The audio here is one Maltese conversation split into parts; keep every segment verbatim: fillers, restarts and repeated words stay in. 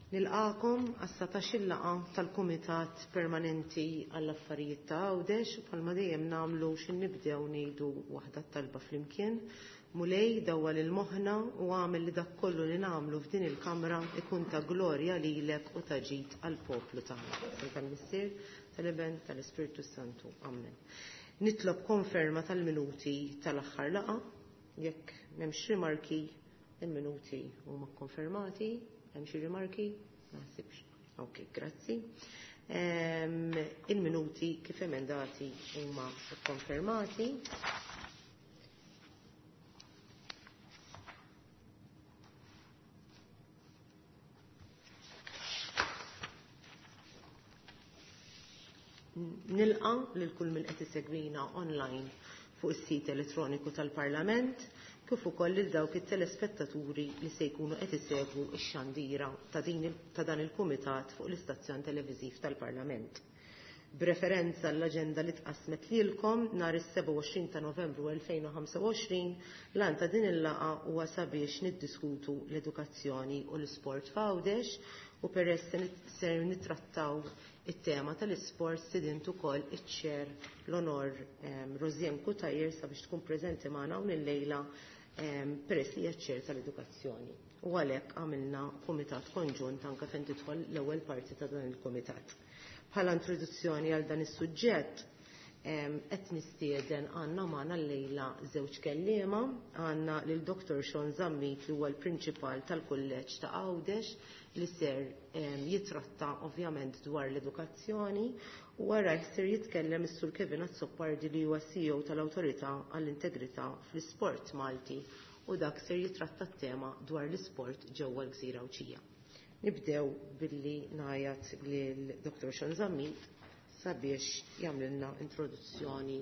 Nilqakom għas-satax-il laqgħa tal-Kumitat Permanenti għall-Affarijiet ta' Għawdex u bħalma dejjem nagħmlu xi nibdew ngħidu waħda talba flimkien. Mulej dawwal il-moħħna u għamel li dak kollu li nagħmlu f'din il-kamra ikun ta' glorja lilek u ta' ġid għall-poplu tagħna. Tal-Missier, tal-Iben, tal-Ispirtu Santu. Amen. Nitlob konferma tal-minuti tal-aħħar laqgħa, jekk m'hemmx rimarki, il-minuti huma konfermati. Hemm xi rimarki? Ma naħsibx. Ok, grazzi. Ehm, il-minuti kif emendati huma konfermati. Nilqa lil kull min qed isegwina online fuq is-sit elettroniku tal-Parlament, kif ukoll lil dawk it-telespettaturi li se jkunu qed isegwu x-xandira ta' din ta' dan il-kumitat fuq l-istazzjon televiżiv tal-Parlament. B'referenza l-aġenda li tqasmet lilkom nhar is-sebgħa u għoxrin ta' Novembru elfejn u ħamsa u għoxrin, l-għan ta' din il-laqgħa huwa sabiex niddiskutu l-edukazzjoni u l-isport f'Għawdex u peress ser nittrattaw it-tema tal-isport sidint ukoll iċ-ċer l-onor ehm, Rosianne Cutajar sabiex tkun preżenti magħna hawn illejla ehm, peress li hija ċ-ċer tal-edukazzjoni. U għalhekk għamilna kumitat konġunt anke fejn tidħol l-ewwel parti ta' dan il-kumitat. Bħala introduzzjoni għal dan is-suġġett ehm, qed nistieden għandna magħna llejla żewġ kelliema, għandna lil Doktor Sean Zammit li huwa l-prinċipal tal-Kulleġġ ta' Għawdex li ser ehm, jitratta ovvjament dwar l-edukazzjoni, u wara ser jitkellem is-Sur Kevin Azzopardi li huwa C E O tal-Awtorità għall-Integrità fl-Isport Malti u dak ser jitratta t-tema dwar l-isport ġewwa l-Gżira Għawdxija. Nibdew billi ngħajat lil Doktor Sean Zammit sabiex jagħmlilna introduzzjoni,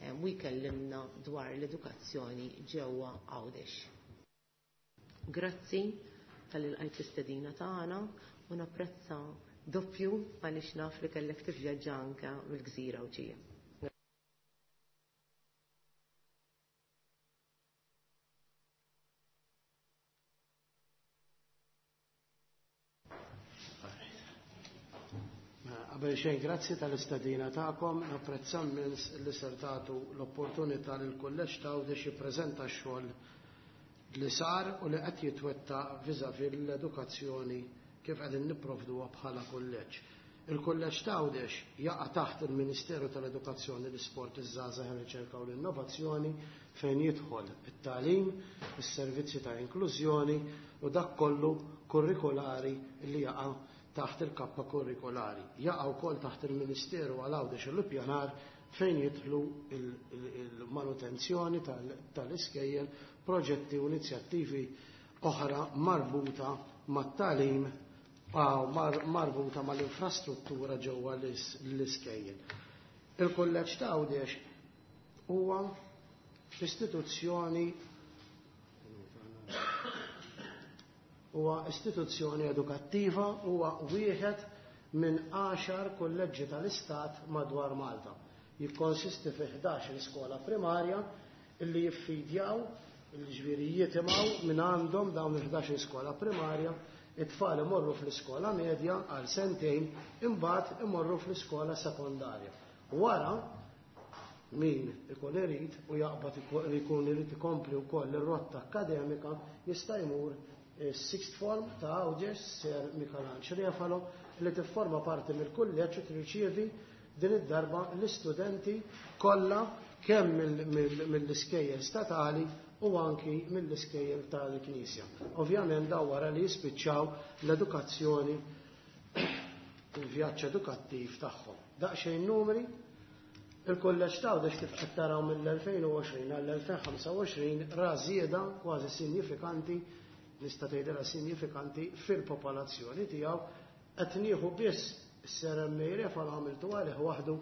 ehm, u jkellimna dwar l-edukazzjoni ġewwa Għawdex. Grazzi tal-ilqajt l-istedina tagħna u napprezza doppju għaliex naf li kellek tivvjaġġa anke mill-Gżira Għawdxija. Qabel xejn grazzi tal-istedina tagħkom, napprezza immens li ser tagħtu l-opportunità lil kulleġġ ta' Għawdex jippreżenta x-xogħol li sar u li qed jitwettaq viżavi l-edukazzjoni kif qegħdin nipprovduha bħala kulleġġ. Il-Kulleġġ ta' Għawdex jaqa' taħt il-Ministeru tal-Edukazzjoni, l-Isport, iż-Żgħażagħ, ir-Riċerka u l-Innovazzjoni fejn jidħol it-tagħlim, is-servizzi ta' inklużjoni u dak kollu kurrikulari li jaqa' taħt il-kappa kurrikulari. Jaqa' wkoll taħt il-Ministeru għal Għawdex u l-Ippjanar fejn jidħlu il-, il-, il-manutenzjoni tal-, tal-iskejjel, proġetti u inizjattivi oħra marbuta mat-tagħlim u mar-, marbuta mal-infrastruttura ġewwa l-is-, l-iskejjel. Il-Kulleġġ ta' Għawdex huwa istituzzjoni huwa istituzzjoni edukattiva, huwa wieħed minn għaxar kulleġġi tal-Istat madwar Malta. Jikkonsisti fi ħdax-il skola primarja illi jiffidjaw, il-ġifieri jitimgħu minn għandhom dawn il-ħdax-il skola primarja, it-tfal imorru fl-iskola medja għal sentejn, imbagħad imorru fl-iskola sekondarja. Wara min ikun irid u jaqbad ikun irid ikompli wkoll ir-rotta akkademika jista' jmur is-sixth form ta' Għawdex Sir Michelangelo Refalo li tifforma parti mill-kulleġġ u tirċievi din id-darba l-istudenti kollha kemm mill-, mill-, mill-iskejjel statali u anki mill-iskejjel tal-Knisja. Ovvjament daw wara li jispiċċaw l-edukazzjoni, il-vjaġġ edukattiv tagħhom. Daqsxejn numri, il-kulleġġ ta' Għawdex kif qed taraw mill-elfejn u għoxrin għall-elfejn u ħamsa u għoxrin ra żieda kważi sinjifikanti, nista' tgħidilha sinjifikanti fil-popolazzjoni tiegħu. Qed nieħu biss Sir M A Refalo għamiltu għalih waħdu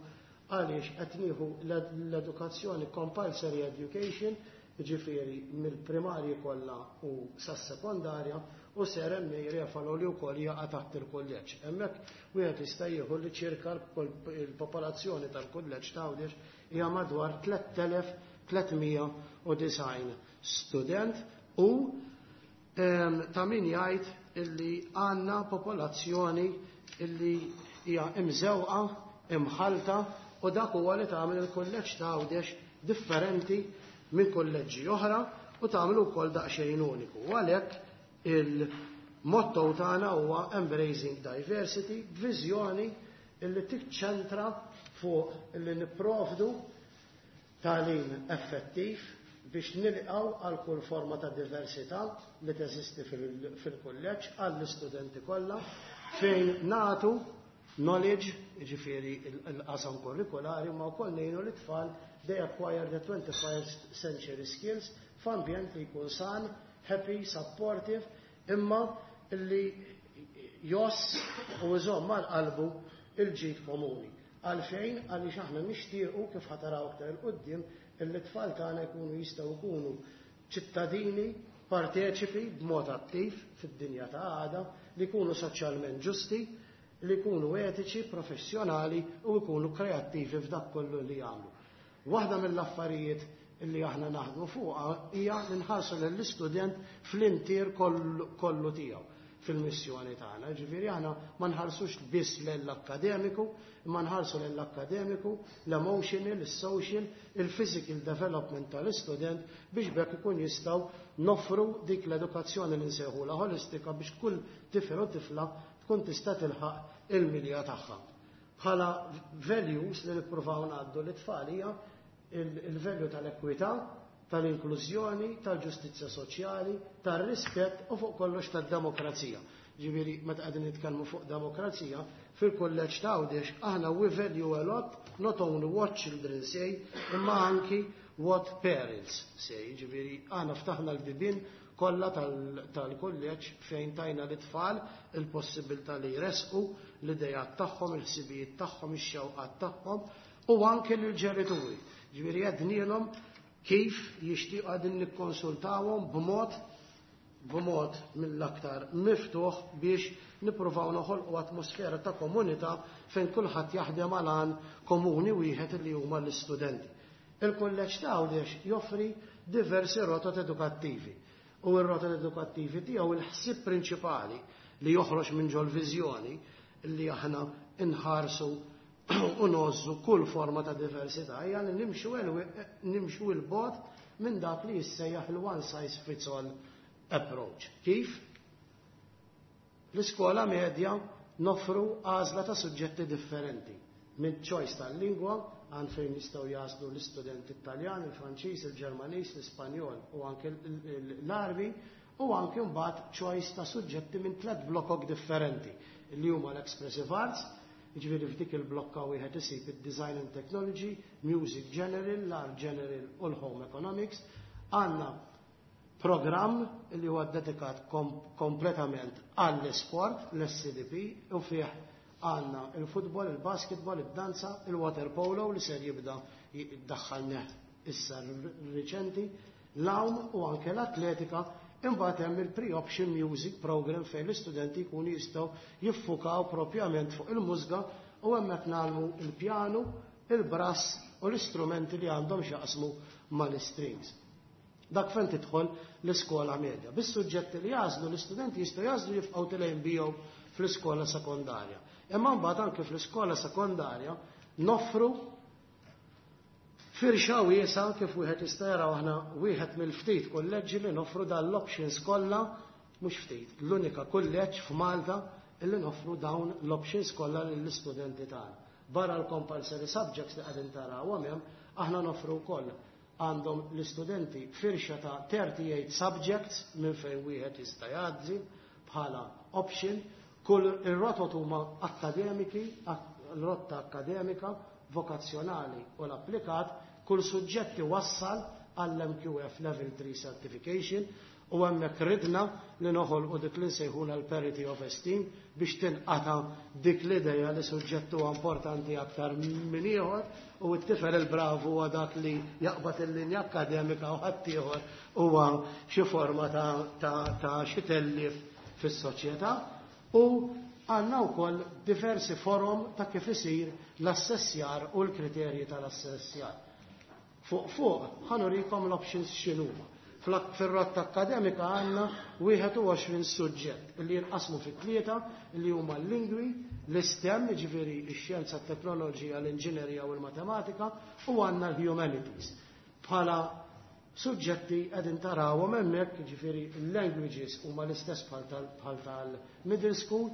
għaliex qed nieħu l-edukazzjoni compulsory education, jiġifieri mill-primarji kollha u sas-sekondarja, u Sir M A Refalo li wkoll jaqa' taħt il-kulleġġ. Hemmhekk wieħed jista' jieħu li ċirka l-popolazzjoni tal-kulleġġ ta' Għawdex hija madwar tliet elef tliet mija u disgħin student u, ehm, ta' min jgħid illi għandna popolazzjoni illi hija imżewqa, imħalta, u dak huwa li tagħmel il-kulleġġ ta' Għawdex differenti minn kulleġġi oħra u tagħmel ukoll daqsxejn uniku. U għalhekk il-motto tagħna huwa Embracing Diversity, b'viżjoni illi tiċċentra fuq illi nipprovdu tagħlim effettiv biex nilqgħu għal kull forma ta' diversità li teżisti fil-kulleġġ għall-istudenti kollha, fejn nagħtu knowledge, jiġifieri il-qasam kurrikulari, ma wkoll ngħinu l-tfal they acquire the twenty-first century skills f'ambjent li jkun san, happy, supportive, imma illi joss u jżomm mal-qalbu il-ġid komuni. Għalfejn? Għaliex aħna nixtiequ, kif ħataraw aktar 'il quddiem, illi t-tfal tagħna jkunu jistgħu jkunu ċittadini parteċipi b'mod attiv fid-dinja ta' għada, li jkunu soċjalment ġusti, li jkunu etiċi, professjonali u jkunu kreattivi f'dak kollu li jagħmlu. Waħda mill-affarijiet illi aħna naħdmu fuqha hija li nħarsu lill-istudent fl-intier kollu tiegħu fil-missjoni tagħna. Ġifieri aħna ma nħarsux biss lill-akkademiku, imma nħarsu lill-akkademiku, l-emotional, is-social, il-physical development tal-istudent biex bekk ikun jistgħu noffru dik l-edukazzjoni li nsejħulha holistika biex kull tifel u tifla tkun tista' tilħaq il-milja tagħha. Bħala values li nippruvaw ngħaddu lit-tfal hija il-value tal-ekwità, tal-inklużjoni, tal-ġustizzja soċjali, tal-rispett u fuq kollox tad-demokrazija. Ġifieri meta qegħdin nitkellmu fuq demokrazija, fil-kulleġġ ta' Għawdex aħna we value a lot not only what children say, imma anki what parents say. Ġifieri aħna ftaħna l-bibien kollha tal-kulleġġ fejn tajna l-tfal il-possibilità li jresqu l-idejat tagħhom, il-ħsibijiet tagħhom, ix-xewqat tagħhom u anke lill-ġenituri. Ġifieri għednielhom kif jixtiequ, qegħdin nikkonsultawhom b'mod b'mod mill-aktar miftuħ biex nippruvaw noħolqu atmosfera ta' komunità fejn kulħadd jaħdem għal għan komuni wieħed li huma l-istudenti. Il-kulleġġ ta' Għawdex joffri diversi rotot edukattivi u r-rotot edukattivi tiegħu, il-ħsieb prinċipali li joħroġ minn ġol viżjoni li aħna inħarsu u ngħożżu kull forma ta' diversità, hija li nimxu nimxu 'l bogħod minn dak li jissejjaħ il-one size fits all approach. Kif? L-iskola medja noffru għażla ta' suġġetti differenti. Minn choice tal-lingwa, għand fejn jistgħu jagħżlu l-istudenti Italjan, il-Franċiż, il-Ġermaniż, l-Ispanjol u anke l-Għarbi, u anke mbagħad choice ta' suġġetti minn tliet blokok differenti li huma l-Expressive Arts, jiġifieri f'dik il-blokka wieħed isib id-Design and Technology, Music General, l-Art General u l-Home Economics. Għandna programm li huwa dedikat kom kompletament għall-sport, l-S C D P, u fih għandna il-futbol, il-basketball, il-danza, il-water polo li ser jibda jiddaħħalnih issa riċenti, l-għawm u anke l-atletika. Imbagħad hemm il-pre-option music program fejn l-istudenti jkunu jistgħu jiffukaw propjament fuq il-mużika u hemmhekk nagħmlu il-pjanu, il-brass u l-istrumenti li għandhom x'jaqsmu mal-strings. Dak fejn tidħol l-iskola medja. Bis-suġġetti li jagħżlu l-istudenti jistgħu jagħżlu jibqgħu telgħin bihom fl-iskola sekondarja. Imma mbagħad anke fl-iskola sekondarja noffru firxa wiesgħa, kif wieħed jista' jara aħna wieħed mill-ftit kulleġġi li noffru dan l-options kollha, mhux ftit, l-unika kulleġġ f'Malta illi noffru dawn l-options kollha lill-istudenti tagħna. Barra l-compulsory subjects li qegħdin taraw hemm, aħna noffru wkoll, għandhom l-istudenti firxa ta' thirty-eight subjects minn fejn wieħed jista' jgħaddi bħala option. Kull ir-rotot huma akademiki, rotta akkademika, vokazzjonali u l-applikat, kull suġġett wassal għall-M Q F Level three Certification u hemmhekk ridna li noħolqu dik li nsejħuna l-parity of esteem biex tinqata dik l-ideja li suġġett huwa importanti aktar minn ieħor u t-tifel il-bravu huwa dak li jaqbad il-linja akkademika u ħaddieħor huwa xi forma ta', ta, ta xi tellif fis-soċjetà. U għandna wkoll diversi forom ta' kif isir l-assessjar u l-kriterji tal-assessjar. Fuq fuq ħa nurikom l-options x'inhuma. Fil-rotta akkademika għandna wieħed u għoxrin suġġett li jinqasmu fi tlieta, li huma l-lingwi, l-STEM, ġifieri x-xjenza, t-teknoloġija, l-inġinerija u l-matematika, u għandna l-humanities. Bħala suġġetti qegħdin tarawhom hemmhekk, ġifieri l-languages huma l-istess bħal tal-middle school,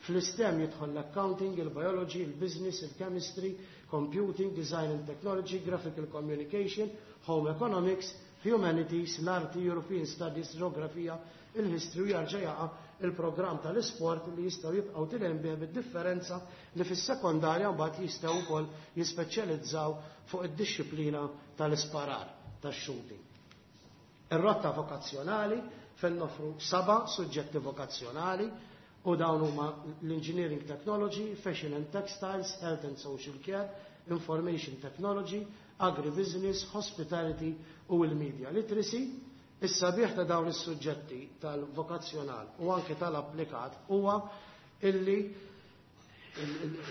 fl-STEM jidħol l-accounting, il-biology, il-business, il-chemistry, computing, design and technology, graphical communication, home economics, humanities, l-arti, European Studies, geografija, il-history, u jarġa' jaqa' il-programm tal-isport li jistgħu jibqgħu telgħin bih, bid-differenza li fis-sekondarja mbagħad jistgħu wkoll jispeċjalizzaw fuq id-dixxiplina tal-isparar, tax-shooting. Ir-rotta vokazzjonali, fejn nofru seba' suġġetti vokazzjonali, u dawn huma l-Engineering Technology, Fashion and Textiles, Health and Social Care, Information Technology, Agribusiness, Hospitality u l-Media Literacy. Is-sabiħ ta' dawn is-suġġetti tal-vokazzjonal u anke tal-applikat huwa illi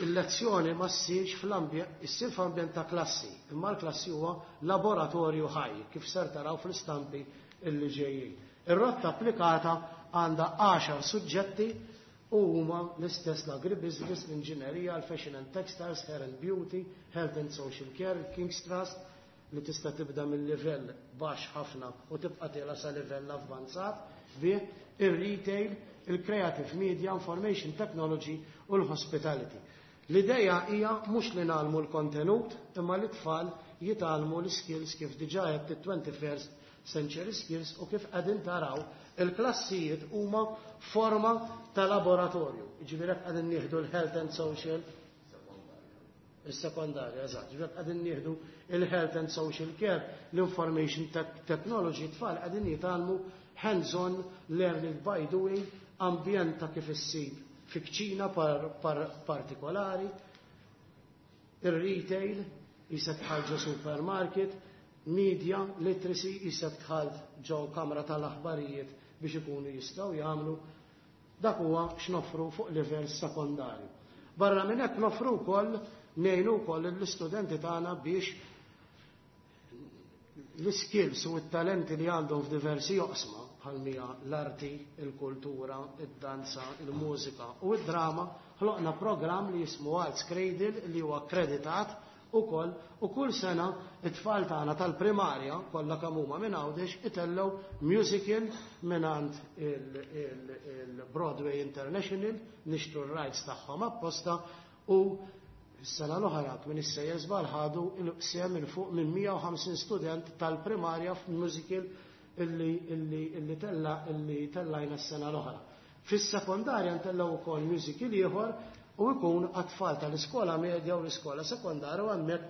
il-lezzjoni ma ssirx fl-ambjent, issir f'ambjent ta' klassi, imma l-klassi huwa laboratorju ħaj, kif ser taraw fl-istampi illi ġejjin. Ir-rotta applikata għandha għaxar suġġetti u huma l-istess: l-agribusiness, l-inġinerija, l-fashion and textiles, hair and beauty, health and social care, King's Trust, li tista' tibda mill-livell baxx ħafna u tibqa' tiela' sa livell avvanzat, bih ir-retail, il-creative media, information technology u l-hospitality. L-ideja hija mhux li ngħallmu l-kontenut, imma li tfal jitgħallmu l-skills, kif diġà qed twenty-first century skills, u kif qegħdin taraw, il-klassijiet huma forma ta' laboratorju. Ġifieri qegħdin nieħdu l-health and social, il-sekondarja, eżatt, ġifieri qegħdin nieħdu il-health and social care, l-information technology, tfal qegħdin jitgħallmu hands-on learning by doing, ambjent ta' kif issib fi kċina par, par, partikolari, il-retail, qisek dħalt ġo supermarket, media literacy, qisek dħalt ġo kamra tal-aħbarijiet biex ikunu jistgħu jagħmlu. Dak huwa x'nofru fuq livell sekondarju. Barra minn hekk, nofru wkoll, ngħinu wkoll l-istudenti tagħna biex l-skills u t-talenti li għandhom f'diversi oqsma, bħal mija l-arti, il-kultura, id-danza, il-mużika u id-drama, ħloqna program li jismu Arts Cradle, li huwa akkreditat ukoll, u kull sena it-tfal tagħna tal-primarja kollha kemm huma minn Għawdex itellgħu musical mingħand il-Broadway International, nixtru r-rights tagħhom apposta, u s-sena l-oħra, minn issejjer żball, ħadu sehem minn fuq minn mija u ħamsin student tal-primarja f'musical illi illi illi tella illi tellajna s-sena l-oħra. Fis-sekondarja ntellgħu wkoll musical ieħor u jkun għat-tfal tal-iskola medja u l-iskola sekondarja, u hemmhekk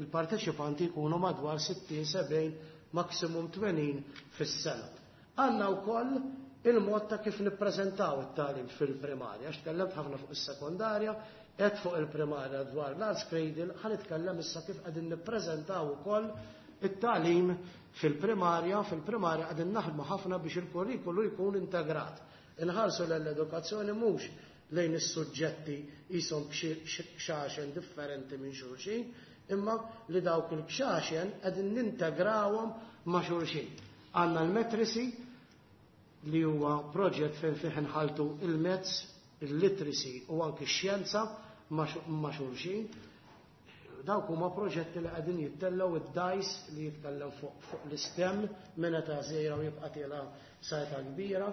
il-parteċipanti jkunu madwar sittin, sebgħin, maksimum tmenin fis-sena. Għandna wkoll il-mod ta' kif nippreżentaw it-tagħlim fil-primarja, għax tkellemt ħafna fuq is-sekondarja, qed fuq il-primarja dwar l-Arts Cradle, ħa nitkellem issa kif qegħdin nippreżentaw ukoll it-tagħlim fil-primarja. Fil-primarja qegħdin naħdmu ħafna biex il-kurrikulu jkun integrat. Inħarsu l-edukazzjoni mhux lejn is-suġġetti qishom kxaxen differenti minn xulxin, imma li dawk il-kxaxen qegħdin nintegrawhom ma' xulxin. Għandna l-Matricy, li huwa proġett fejn fih nħaltu il-maths, il-literacy u anki x-xjenza ma' xulxin. Dawk huma proġetti li qegħdin jittellgħu, id-DICE li jitkellem fuq fuq l-STEM minn età żgħira u jibqa' tiela' sa età kbira,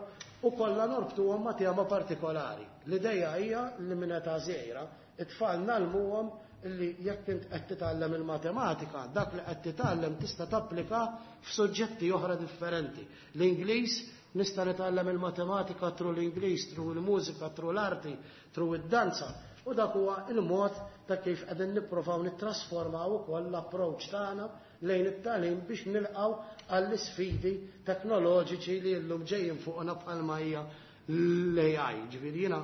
u kollha norbtuhom ma' tema partikolari. L-idea hija li minn età żgħira it-tfal ngħallmuhom li jekk int qed titgħallem il-matematika, dak li qed titgħallem tista' tapplika f'suġġetti oħra differenti. L-Ingliż, nista' nitgħallem il-matematika through l-Ingliż, through il-mużika, through l-arti, through id-danza. U dak huwa il-mod ta' kif qegħdin nipprovaw nittrasformaw ukoll l-approach tagħna lejn it-tagħlim biex nilqgħu għall-isfidi teknoloġiċi li llum ġejjin fuqna, bħalma hija l-A I. Ġifieri jiena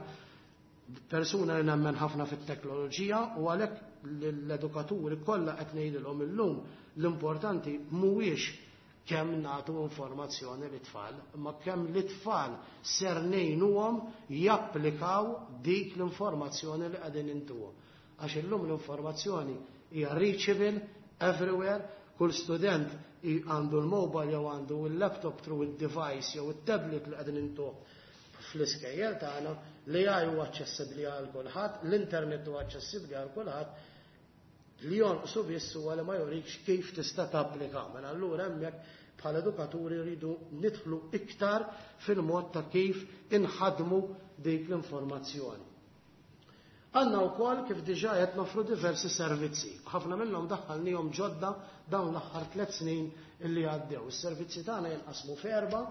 persuna li nemmen ħafna fit-teknoloġija, u għalhekk l-edukaturi kollha qed ngħidilhom illum, l-importanti mhuwiex kemm nagħtu informazzjoni lit-tfal, imma kemm l-tfal ser ngħinuhom japplikaw dik l-informazzjoni li qegħdin intuhom. Għax illum l-informazzjoni hija reachable everywhere, Kull student għandu l-mobile jew għandu l-laptop through il-device jew il-tablet li qegħdin intuh fl-iskejjel tagħna li huwa aċċessibbli għal kulħadd, l-internet huwa aċċessibbli għal kulħadd, li jonqsu biss huwa li ma jurikx kif tista' tapplika. Mela allura hemmhekk bħala edukaturi rridu nidħlu iktar fil-mod ta' kif inħadmu dik l-informazzjoni. Għandna wkoll kif diġà qed nofru diversi servizzi. Ħafna minnhom daħħalnihom ġodda dawn l-aħħar tliet snin illi għaddew. Is-servizzi tagħna jinqasmu f'erba',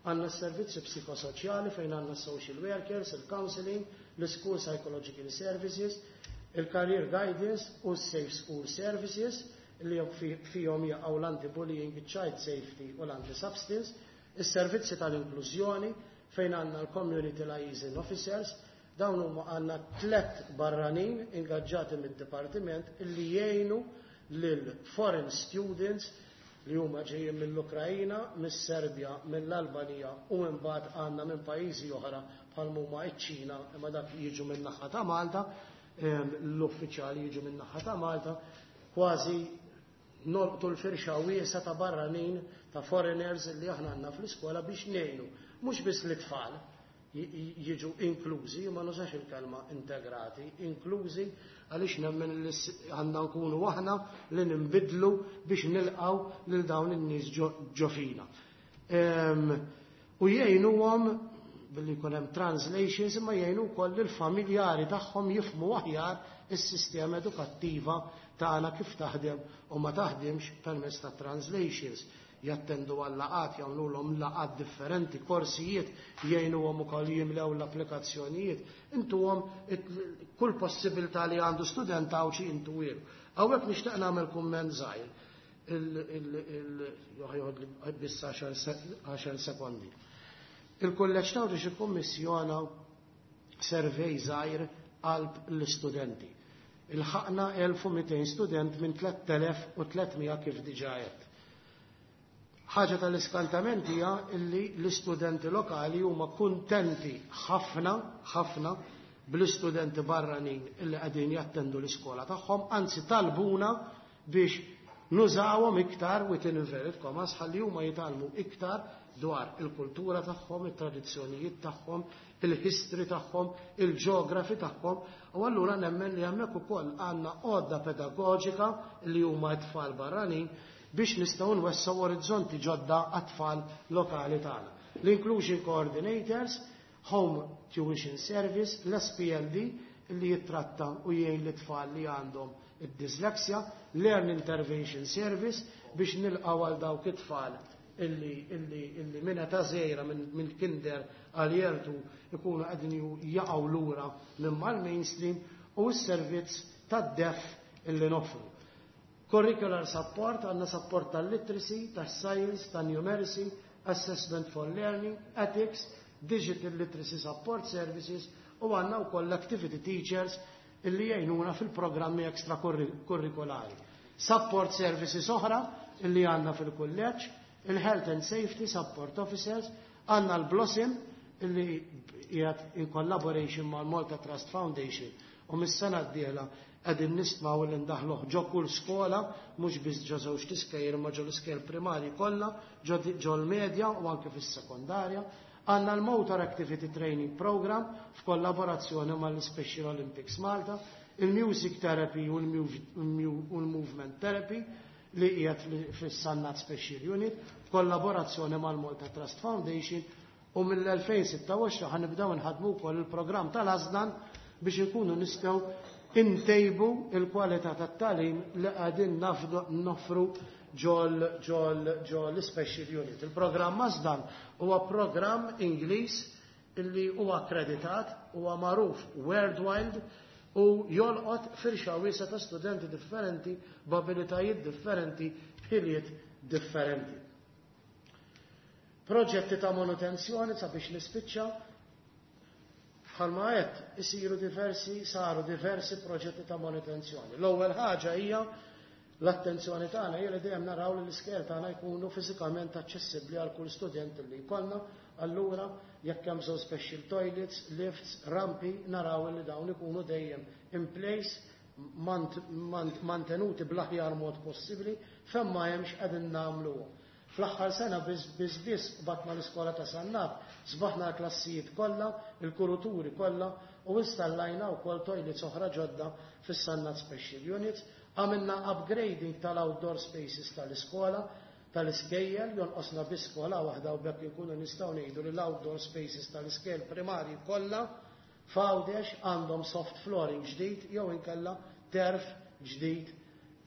għandna s-servizzi psikosoċjali fejn għandna social workers, il-counseling, l-school psychological services, il-career guidance u s-safe school services li fihom jaqgħu l-anti-bullying, child safety u l-anti-substance, is-servizzi tal-inklużjoni fejn għandna l-community liaison officers, dawn huma għandna tlet barranin ingaġġati mid-dipartiment illi jgħinu lil foreign students li huma ġejjin mill-Ukrajina, mis-Serbja, mill-Albanija u imbagħad għandna minn pajjiżi oħra bħal huma iċ-Ċina, imma dak jiġu minn naħa ta' Malta, l-uffiċjali jiġu minn naħa ta' Malta, kważi nolqtu l-firxa wiesa ta' barranin, ta' foreigners li aħna għandna fl-iskola biex ngħinu, mhux biss l-tfal jiġu inklużi, ma nużax il-kelma integrati, inklużi għaliex nemmen li għandna nkunu aħna li nimbidlu biex nilqaw lil dawn in-nies ġo fina. U jgħinuhom billi jkun hemm translations, imma jgħinu wkoll lill-familjari tagħhom jifhmu aħjar is-sistema edukattiva tagħna kif taħdem u ma taħdimx permezz ta' translations. Jattendu għal laqat, jagħmluhom laqat differenti, korsijiet, jgħinuhom ukoll jimlew l-applikazzjonijiet, intuhom kull possibilità li għandu student Għawdxi intuhielu. Hawnhekk nixtieq nagħmel kumment żgħir, biss għaxar sekondi. Il-kulleġġ Għawdex ikkummissjona survey żgħir qalb l-istudenti. Ilħaqna elf u mitejn student minn tlett elef u tliet mija kif diġà għedt. Ħaġa tal-iskantament hija illi l-istudenti lokali huma kuntenti ħafna, ħafna bl-istudenti barranin illi qegħdin jattendu l-iskola tagħhom, anzi talbuna biex nużawhom iktar within inverted commas ħalli huma jitgħallmu iktar dwar il-kultura tagħhom, it-tradizzjonijiet tagħhom, il-history tagħhom, il-ġeografi tagħhom, u allura nemmen li hemmhekk ukoll għandna għodda pedagoġika li huma t-tfal barranin biex nistgħu nwessgħu orizzonti ġodda għat-tfal lokali tagħna. L-Inclusion Coordinators, Home Tuition Service, l-S P L D li jittratta u jgħin l-tfal li għandhom id-dyslexia, Learn Intervention Service biex nilqgħu għal dawk it-tfal illi, illi, illi minn età żgħira, minn, minn kinder għal jertu ikunu qegħdin jaqgħu lura minn mal-mainstream, u s-servizz tad-def illi noffru. Curricular support, għandna support tal-literacy, tas-science, tan-numeracy, assessment for learning, ethics, digital literacy support services, u għandna wkoll activity teachers illi jgħinuna fil-programmi extracurriculari. Support services oħra illi għandna fil-kulleġġ, il-Health and Safety Support Officers, għandna l-Blossom illi qiegħed in collaboration mal-Malta Trust Foundation u mis-sena d-dieħla qegħdin nistmaw li ndaħluh ġo kull skola, mhux biss ġo żewġ tiskejjel imma ġo l-iskejjel primarji kollha, ġo l-medja u anke fis-sekondarja. Għandna l-Motor Activity Training Program f'kollaborazzjoni mal-Special Olympics Malta, il-Music Therapy u l-Movement Therapy li qiegħed fis-Sannat Special Unit f'kollaborazzjoni mal-Malta Trust Foundation, u mill-elfejn sitta u għoxrin ħanibdew nħadmu wkoll il-programm tal-Asdan biex inkunu nistgħu intejbu il-kwalità tat-tagħlim li qegħdin noffru ġol, ġol, ġol l-Special Unit. Il-programm Asdan huwa programm Ingliż illi huwa akkreditat, huwa magħruf worldwide u jolqot firxa wiesgħa ta' studenti differenti b'abilitajiet differenti, b'ħiliet differenti. Proġetti ta' manutenzjoni sabiex nispiċċa, bħalma għedt isiru diversi, saru diversi proġetti ta' manutenzjoni. L-ewwel ħaġa hija l-attenzjoni tagħna hija li dejjem naraw li l-iskejjel tagħna jkunu fiżikament aċċessibbli għal kull student li jkollna. Allura jekk hemm bżonn special toilets, lifts, rampi, naraw li dawn ikunu dejjem in place mantenuti bl-aħjar mod possibbli, fejn ma hemmx qegħdin nagħmluhom. Fl-aħħar sena biss biss biss batna l-iskola ta' Sannat, sbaħna l-klassijiet kollha, il-kuruturi kollha u installajna wkoll toilets oħra ġodda fis-Sannat Special Units, għamilna upgrading tal-outdoor spaces tal-iskola, tal-iskejjel, jonqosna biss skola waħda u bekk inkunu nistgħu ngħidu li l-outdoor spaces tal-iskejjel primarji kollha f'Għawdex għandhom soft flooring ġdid jew inkella terf ġdid,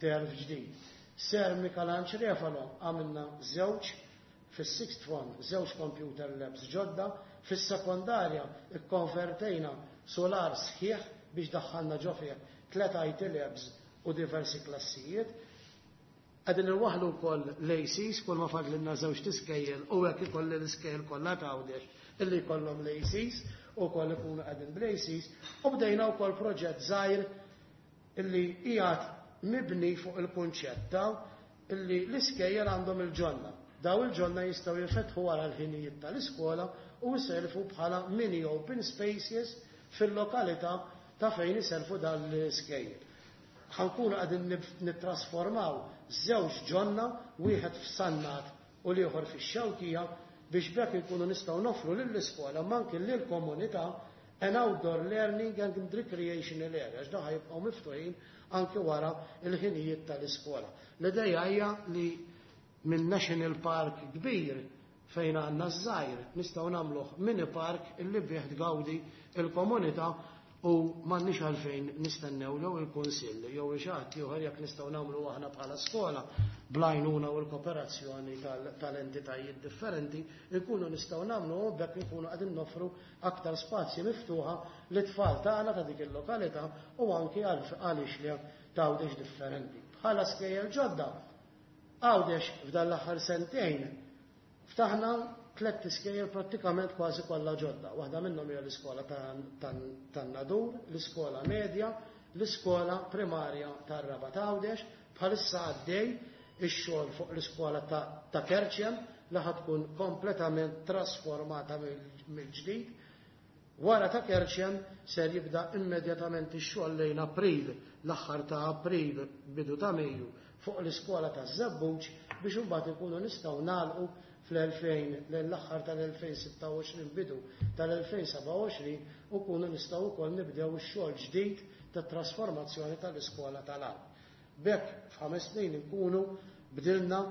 terf ġdid. Sir Mikelanġ Refalo għamilna żewġ fis-sixth form, żewġ computer labs ġodda, fis-sekondarja ikkonvertejna solar sħiħ biex daħħalna ġo fih tliet I T labs u diversi klassijiet. Qegħdin inwaħħlu wkoll l-A Cs, kull ma fadlilna żewġ tiskejjel u hekk ikolli l-iskejjel kollha ta' Għawdex illi jkollhom l-A Cs u wkoll ikunu qegħdin bl-A Cs, u bdejna wkoll proġett żgħir illi qiegħed mibni fuq il-kunċett ta' illi l-iskejjel għandhom il-ġonna. Daw il-ġonna jistgħu jinfetħu wara l-ħinijiet tal-iskola u jservu bħala mini open spaces fil-lokalità ta' fejn iservu dan l-iskejjel. Ħankunu qegħdin nittrasformaw żewġ ġonna, wieħed f'Sannat u l-ieħor fix-Xewkija, biex bekk inkunu nistgħu nofru lill-iskola ma anke lill-komunità an outdoor learning and recreational area, għax dawn ħajbqgħu miftuħin anke wara l-ħinijiet tal-iskola. L-idea hija li minn National Park kbir fejn għandna ż-żgħir nistgħu nagħmluh mini park illi bih tgawdi l-komunità u m'għandniex għalfejn nistennew jew il-Kunsill jew xi ħadd ieħor jekk nistgħu nagħmlu aħna bħala skola bl-għajnuna u l-kooperazzjoni tal-entitajiet differenti nkunu nistgħu nagħmlu u bekk nkunu qegħdin noffru aktar spazji miftuħa lit-tfal tagħna ta' dik il-lokalità u anke għaliex li t'Għawdex differenti. Bħala skejjel ġodda, Għawdex f'dan l-aħħar sentejn ftaħna tliet iskejjel prattikament kważi kollha ġodda. Waħda minnhom hija l-iskola tan-Nadur, l-iskola medja, l-iskola primarja tar-Rabat Għawdex, bħalissa għaddej ix-xogħol fuq l-iskola ta' Kerċem li ħad tkun kompletament trasformata mill-ġdid. Wara ta' Kerċem ser jibda immedjatament ix-xogħol lejn April, l-aħħar ta' April, bidu ta' Mejju, fuq l-iskola ta' Żebbuġ biex imbagħad ikunu nistgħu nagħlqu fl-elfejn, l-aħħar tal-elfejn sitta u għoxrin, bidu tal-elfejn seba' u għoxrin, u kunu nistgħu wkoll nibdew ix-xogħol ġdid tat-trasformazzjoni tal-iskola tal-Għarb. B'hekk f'ħames snin inkunu bdilna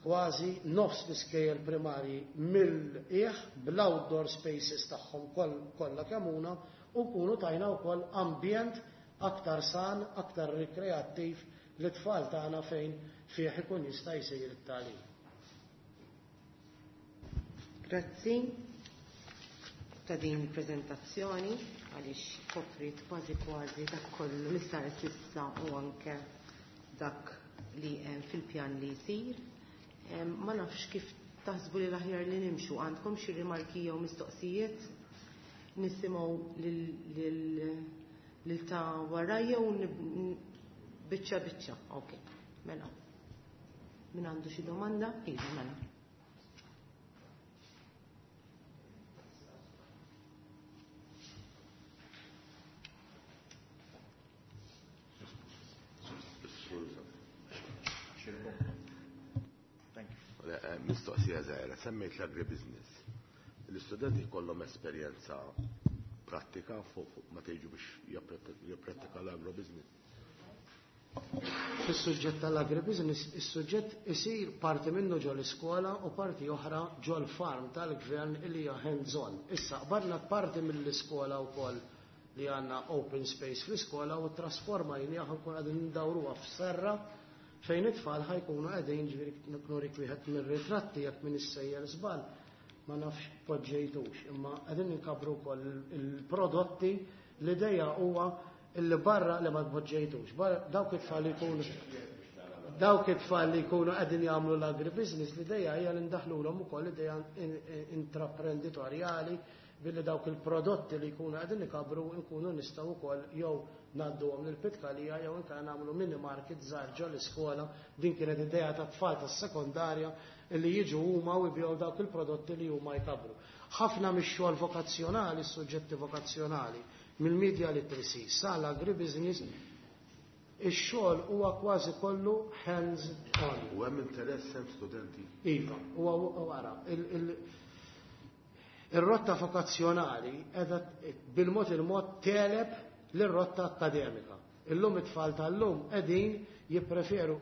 kważi nofs l-iskejjel primarji mill-qiegħ bl-outdoor spaces tagħhom kollha kemm huma u nkunu tajna wkoll ambjent aktar san, aktar rikreattiv li tfal tagħna fejn fih ikun jista' jsir it-tagħlim. Grazzi ta' din il-preżentazzjoni għaliex koprit kważi kważi dak kollu li sar s'issa u anke dak li hemm fil-pjan li jsir. Ma nafx kif taħsbu li l-aħjar li nimxu, għandkom xi rimarki jew mistoqsijiet nisimgħu lil ta' warajja u biċċa biċċa. Ok, mela. Min għandu xi domanda? Iva, mela. Mistoqsija żgħira, semmejt l-agribusiness. L-istudenti jkollhom esperjenza prattika fuq ma tgħidu biex jipprattika l-agrobusiness. Fis-suġġett tal-agribusiness, is-suġġett isir parti minnu ġol iskola u parti oħra ġol farm tal-gvern li hija hands-on. Issa qbarna parti mill-iskola wkoll li għandna open space fl-iskola u trasformajniha ħankun qegħdin ndawruha f'serra fejn it-tfal ħajkunu qegħdin, ġifieri nurik wieħed mir-ritratti jekk min issejjer żball ma nafx poġġejtux, imma qegħdin inkabru wkoll il-prodotti. L-idea huwa illi barra li ma tpoġġejtux, barra dawk it-tfal li jkunu dawk it-tfal li jkunu qegħdin jagħmlu l-agribusiness, l-idea hija li ndaħlulhom ukoll idea intraprenditorjali billi dawk il-prodotti li jkunu qegħdin ikabru nkunu nistgħu wkoll jew ngħadduhom lill-pitkalija jew inkella nagħmlu mini market żgħar ġol iskola. Din kienet idea ta' tfal tas-sekondarja li jiġu huma u jbigħu dawk il-prodotti li huma jkabru. Ħafna mix-xogħol vokazzjonali, suġġetti vokazzjonali, mill-media literacy sal-agribusiness, ix-xogħol huwa kważi kollu hands on. U hemm interess, hemm studenti? Iva, huwa wara. Ir-rotta vokazzjonali qiegħda bil-mod il-mod tegħleb lir-rotta akademika. Illum it-tfal tal-lum qegħdin jippreferu,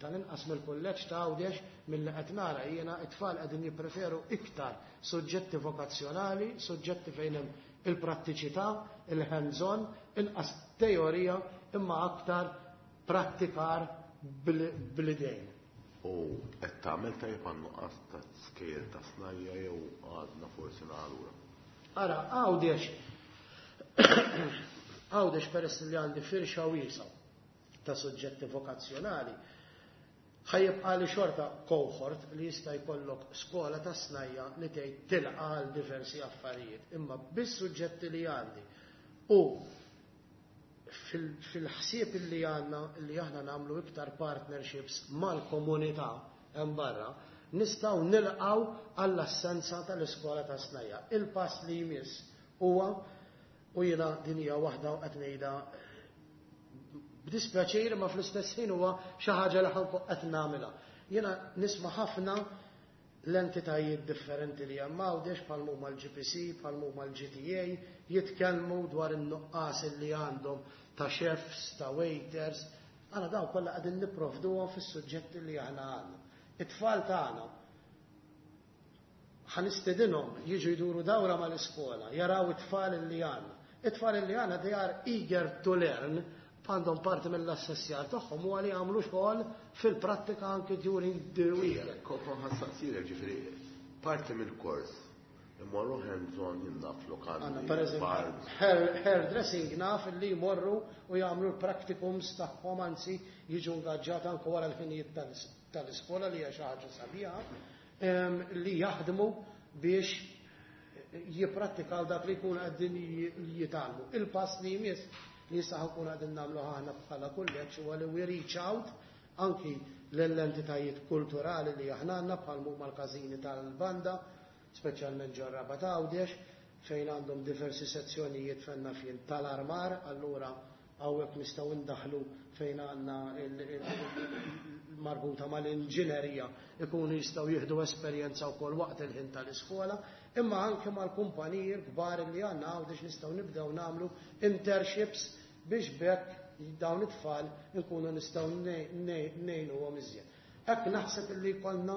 tal-inqas mill-kulleġġ ta' Għawdex milli qed nara jiena, it-tfal qegħdin jippreferu iktar suġġetti vokazzjonali, suġġetti fejn hemm il-prattiċità, il-hands-on, inqas teorija imma aktar prattikar bl-idejn. U qed tagħmel tajjeb għan-nuqqas ta' skejjel ta' snajja jew għadna forsi lura? Ara, Għawdex Għawdex peress li għandi firxa wiesgħa ta' suġġetti vokazzjonali, ħa jibqa' li xorta cohort li jista' jkollok skola ta' snajja li tgħid tilqa' għal diversi affarijiet, imma biss suġġetti li għandi u fil-ħsieb li għandna li aħna nagħmlu iktar partnerships mal-komunità hemm barra, nistgħu nilqgħu għall-assenza tal-iskola ta' snajja. Il-pass li jmiss huwa, u jiena din hija waħda u qed ngħidha b'dispjaċir ma fl-istess ħin huwa xi ħaġa li ħa nkun qed nagħmilha. Jiena nisma' ħafna l-entitajiet differenti li hemm Għawdex, bħal huma l-G P C, bħal huma l-G T A, jitkellmu dwar in-nuqqas li għandhom ta' chefs, ta' waiters. Għana dawn kollha qegħdin nipprovduhom fis-suġġetti li aħna għandna. It-tfal tagħna ħa nistedinhom jiġu jduru dawra mal-iskola, jaraw it-tfal li għandna. It-tfal li għandna, they are eager to learn, għandhom parti mill-assessjar tagħhom huwa li jagħmlu xogħol fil-prattika anke during the week. Kont ħa nsaqsik, ġifieri, parti mill-kors imorru hands-on jinnaf lokali. Għanna, per eżempju, hair dressing naf li jmorru u jagħmlu l-practicums tagħhom, anzi jiġu ingaġġati anke wara l-ħinijiet tal-iskola, li hija xi ħaġa sabiħa, li jaħdmu biex jipprattikaw dak li jkunu qegħdin jitgħallmu. Il-pass li jmiss li issa ħa nkunu qegħdin nagħmlu aħna bħala kulleġġ huwa li we reach out anki l-entitajiet kulturali li aħna għandna, bħal huma l-każini tal-banda, speċjalment ġor-Rabat Għawdex, fejn għandhom diversi sezzjonijiet fejn nafjen tal-armar, allura hawnhekk nistgħu ndaħlu fejn għandna marbuta mal-inġinerija, ikunu jistgħu jieħdu esperjenza wkoll waqt il-ħin tal-iskola, imma anke mal-kumpaniji kbar li għandna Għawdex nistgħu nibdew nagħmlu internships biex b'hekk dawn it-tfal nkunu nistgħu ngħinuhom iżjed. Hekk naħseb li jkollna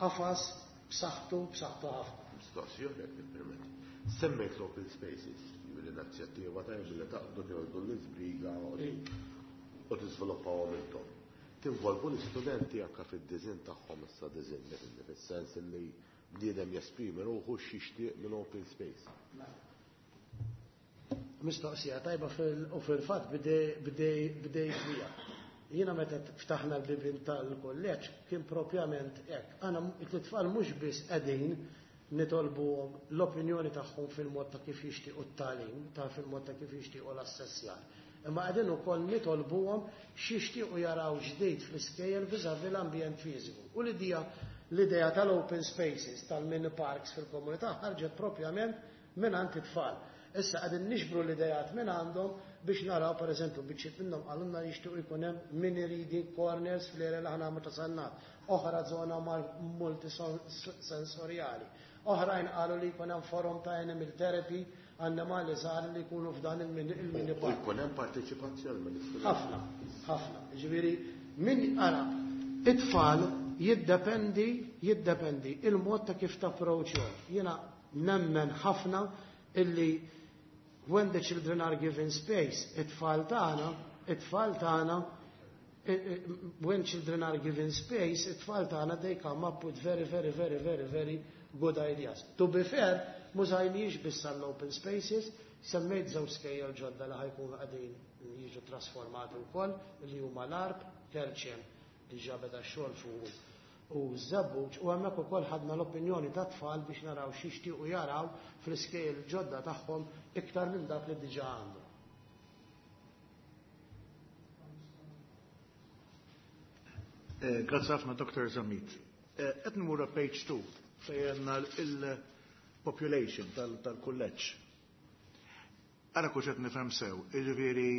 qafas b'saħħtu b'saħħtu ħafna. Mistoqsija jekk tippermetti. Semmejt l-open spaces, l-inizjattiva tajba li taqbdu tieħdu l-iżbriga u tiżviluppawhom intom. Tinvolvu l-istudenti anke fid-design tagħhom, issa design fis-sens li bniedem jesprimi ruħu x'jixtieq minn open space? Mistoqsija tajba u fil-fatt bdejt bija. Jiena meta ftaħna l-bibien tal-kolleġġ kien propjament hekk. Għana it-tfal mhux biss qegħdin nitolbu l-opinjoni tagħhom fil-mod ta' kif jixtiequ t-tagħlim, ta' fil-mod ta' kif jixtiequ l-assessjar. Imma qegħdin ukoll nitolbuhom x'jixtiequ jaraw ġdid fl-iskejjel vis-à-vis l-ambjent fiżiku. U l-idea l-idea tal-open spaces, tal-mini parks fil-komunità ħarġet propjament minn għand it-tfal. Issa qegħdin niġbru l-idejat minn għandhom biex naraw, per eżempju, biċċiet minnhom qalulna li jixtiequ jkun hemm mini reading corners fl-area li aħna meta sannat, oħra żona multisensorjali. Oħrajn qalu li jkun hemm forum ta' animal therapy, annimali żgħar li jkunu f'dan il-mini park. U jkun hemm parteċipazzjoni mill-istudenti. Ħafna, ħafna. Ġifieri min ara it-tfal jiddependi jiddependi il-mod ta' kif tapproċċjhom. Jiena nemmen ħafna illi when the children are given space, it-tfal tagħna, it-tfal tagħna, when children are given space, it-tfal tagħna, they come up with very, very, very, very, very good ideas. To be fair, m'użajniex biss open spaces, semmejt żewġ skejjel ġodda li ħa jkunu qegħdin jiġu trasformati wkoll, li huma l-Għarb, Kerċem diġà beda xogħol fuq, u Żebbuġ, u hemmhekk ukoll ħadna l-opinjoni ta' tfal biex naraw x'jixtiequ jaraw fl-iskejjel ġodda tagħhom iktar minn dak li diġà għandhom. Eh, grazzi ħafna, Doctor Zammit. Eh, qed nmura page two fejn għandna population tal-kulleġġ. Ara kux qed nifhem sew, jiġifieri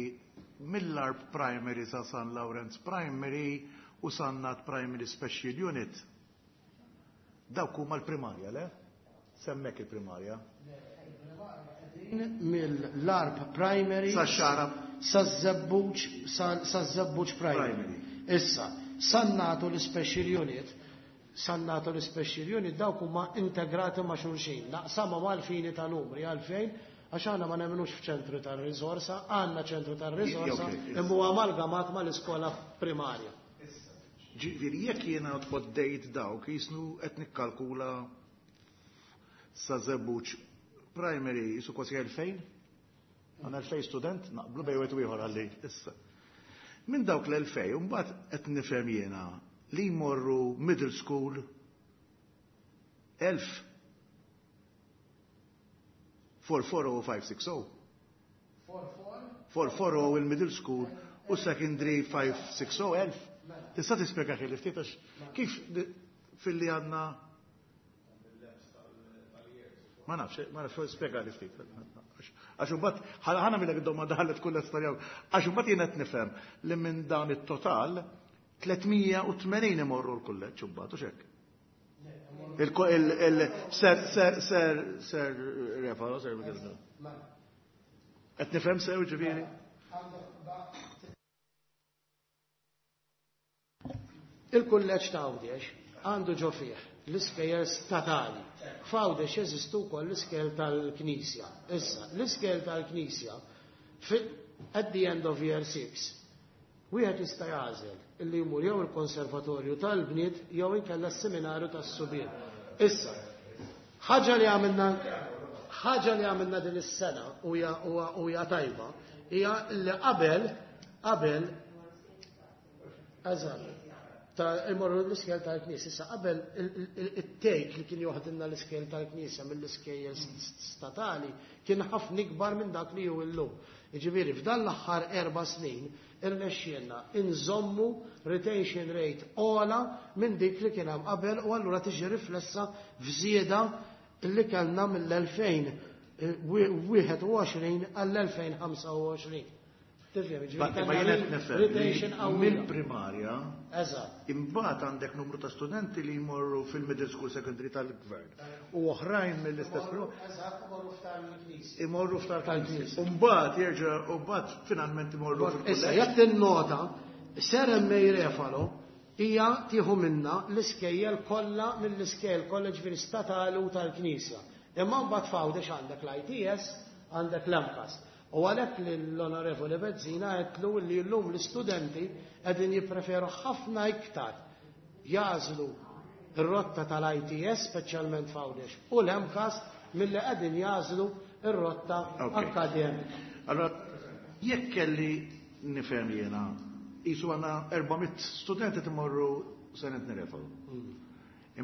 mill-Għarb Primary sa San Lawrenz Primary u Sannat Primary Special Unit. Dawk huma l-primarja, le? Semmek il-primarja. Mill-Għarb Primary sa Xagħra sa Żebbuġ sa Żebbuġ Primary. Issa, Sannat u l-Special Unit, Sannat u l-Special Unit dawk huma integrati ma' xulxin. Naqsama mal-fini ta' numri għalfejn, għax aħna ma nemmenux f'ċentru tar-riżorsa, għandna ċentru tar-riżorsa imma huwa amalgamat mal-iskola primarja. Ġifieri jekk jiena tħoddejt dawk jisnu qed nikkalkula sa Żebbuġ Primary jisu kważi elfejn? Għandna elfejn student, naqblu bejn wieħed u ieħor għalli. Issa. Minn dawk l-elfejn, mbagħad qed nifhem jiena li jmorru middle school elf. Four four oh five six oh. Four four oh il-middle school u secondary five six oh elf. Tista' tispjega xi ftit għax kif filli għandna ma nafx, ma nafx, spjega li ftit. Għax imbagħad ħana millek id-domanda ħallet kull storja. Għax imbagħad jien qed nifhem li minn dan it-total tliet mija u tmenin imorru l-kulleġġ imbagħad u x'hekk. Il ser ser ser ser Refalo, ser qed nifhem sew ġifieri? Il-kulleġġ ta' Għawdex għandu ġo fih l-iskejjel statali. F'Għawdex jeżistu wkoll l-iskejjel tal-Knisja. Issa, l-iskejjel tal-Knisja at the end of year six, wieħed jista' jagħżel illi jmur jew il-konservatorju tal-bniet jew inkella s-seminarju tas-subien. Issa, ħaġa li għamilna ħaġa li għamilna din is-sena u hija tajba hija li qabel qabel eżatt ta' imorru l-iskejjel tal-Knisja. Issa qabel it-take li kien joħdilna l-iskejjel tal-Knisja mill-iskejjel statali kien ħafna ikbar minn dak li hu llum. Jiġifieri f'dan l-aħħar erba' snin irnexxielna inżommu retention rate ogħla minn dik li kien hemm qabel u allura tiġi riflessa f'żieda li kellna mill-elfejn wieħed u għoxrin għall-elfejn ħamsa u għoxrin. Tifhem, ġifieri Ma kellna jien qed nifhem li retention qawwija. mill-primarja Eżatt. imbagħad għandek numru ta' studenti li jmorru fil-middle school secondary tal-gvern u oħrajn mill-istess Imorru, eżatt, imorru f'tal-Knisja. Imorru f'tal-Knisja. U mbagħad jerġa' u mbagħad finalment imorru Issa, fil-kulleġġ. jekk tinnota, Sir M A. Refalo hija tieħu minna l-iskejjel kollha mill-iskejjel kollha ġifieri statali u tal-Knisja. Imma mbagħad f'Għawdex għandek l-I T S, għandek l-M C A S. U għalhekk li l-Onorevoli Bezzina għedtlu li llum l-istudenti qegħdin jippreferu ħafna iktar jażlu r-rotta tal-I T S, speċjalment f'Għawdex, u l-M C A S milli qegħdin jażlu r-rotta Ok. akademika. Allora, jekk kelli nifhem jiena, qisu għandna erba' mitt studenti timorru Saint Anthony Refalo. Mm.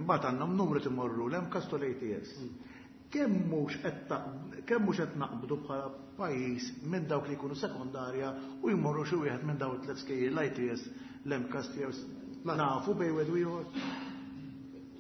Imbagħad għandna numru timorru l-M C A S u l-A T S. Mm. Kemm mhux qed ta-, kemm mhux qed naqbdu bħala pajjiż minn dawk li jkunu sekondarja u jmorru xi wieħed minn dawk it-tliet skejjel l-I T S, l-M C A S jew Ma- nafu bejn wieħed u ieħor?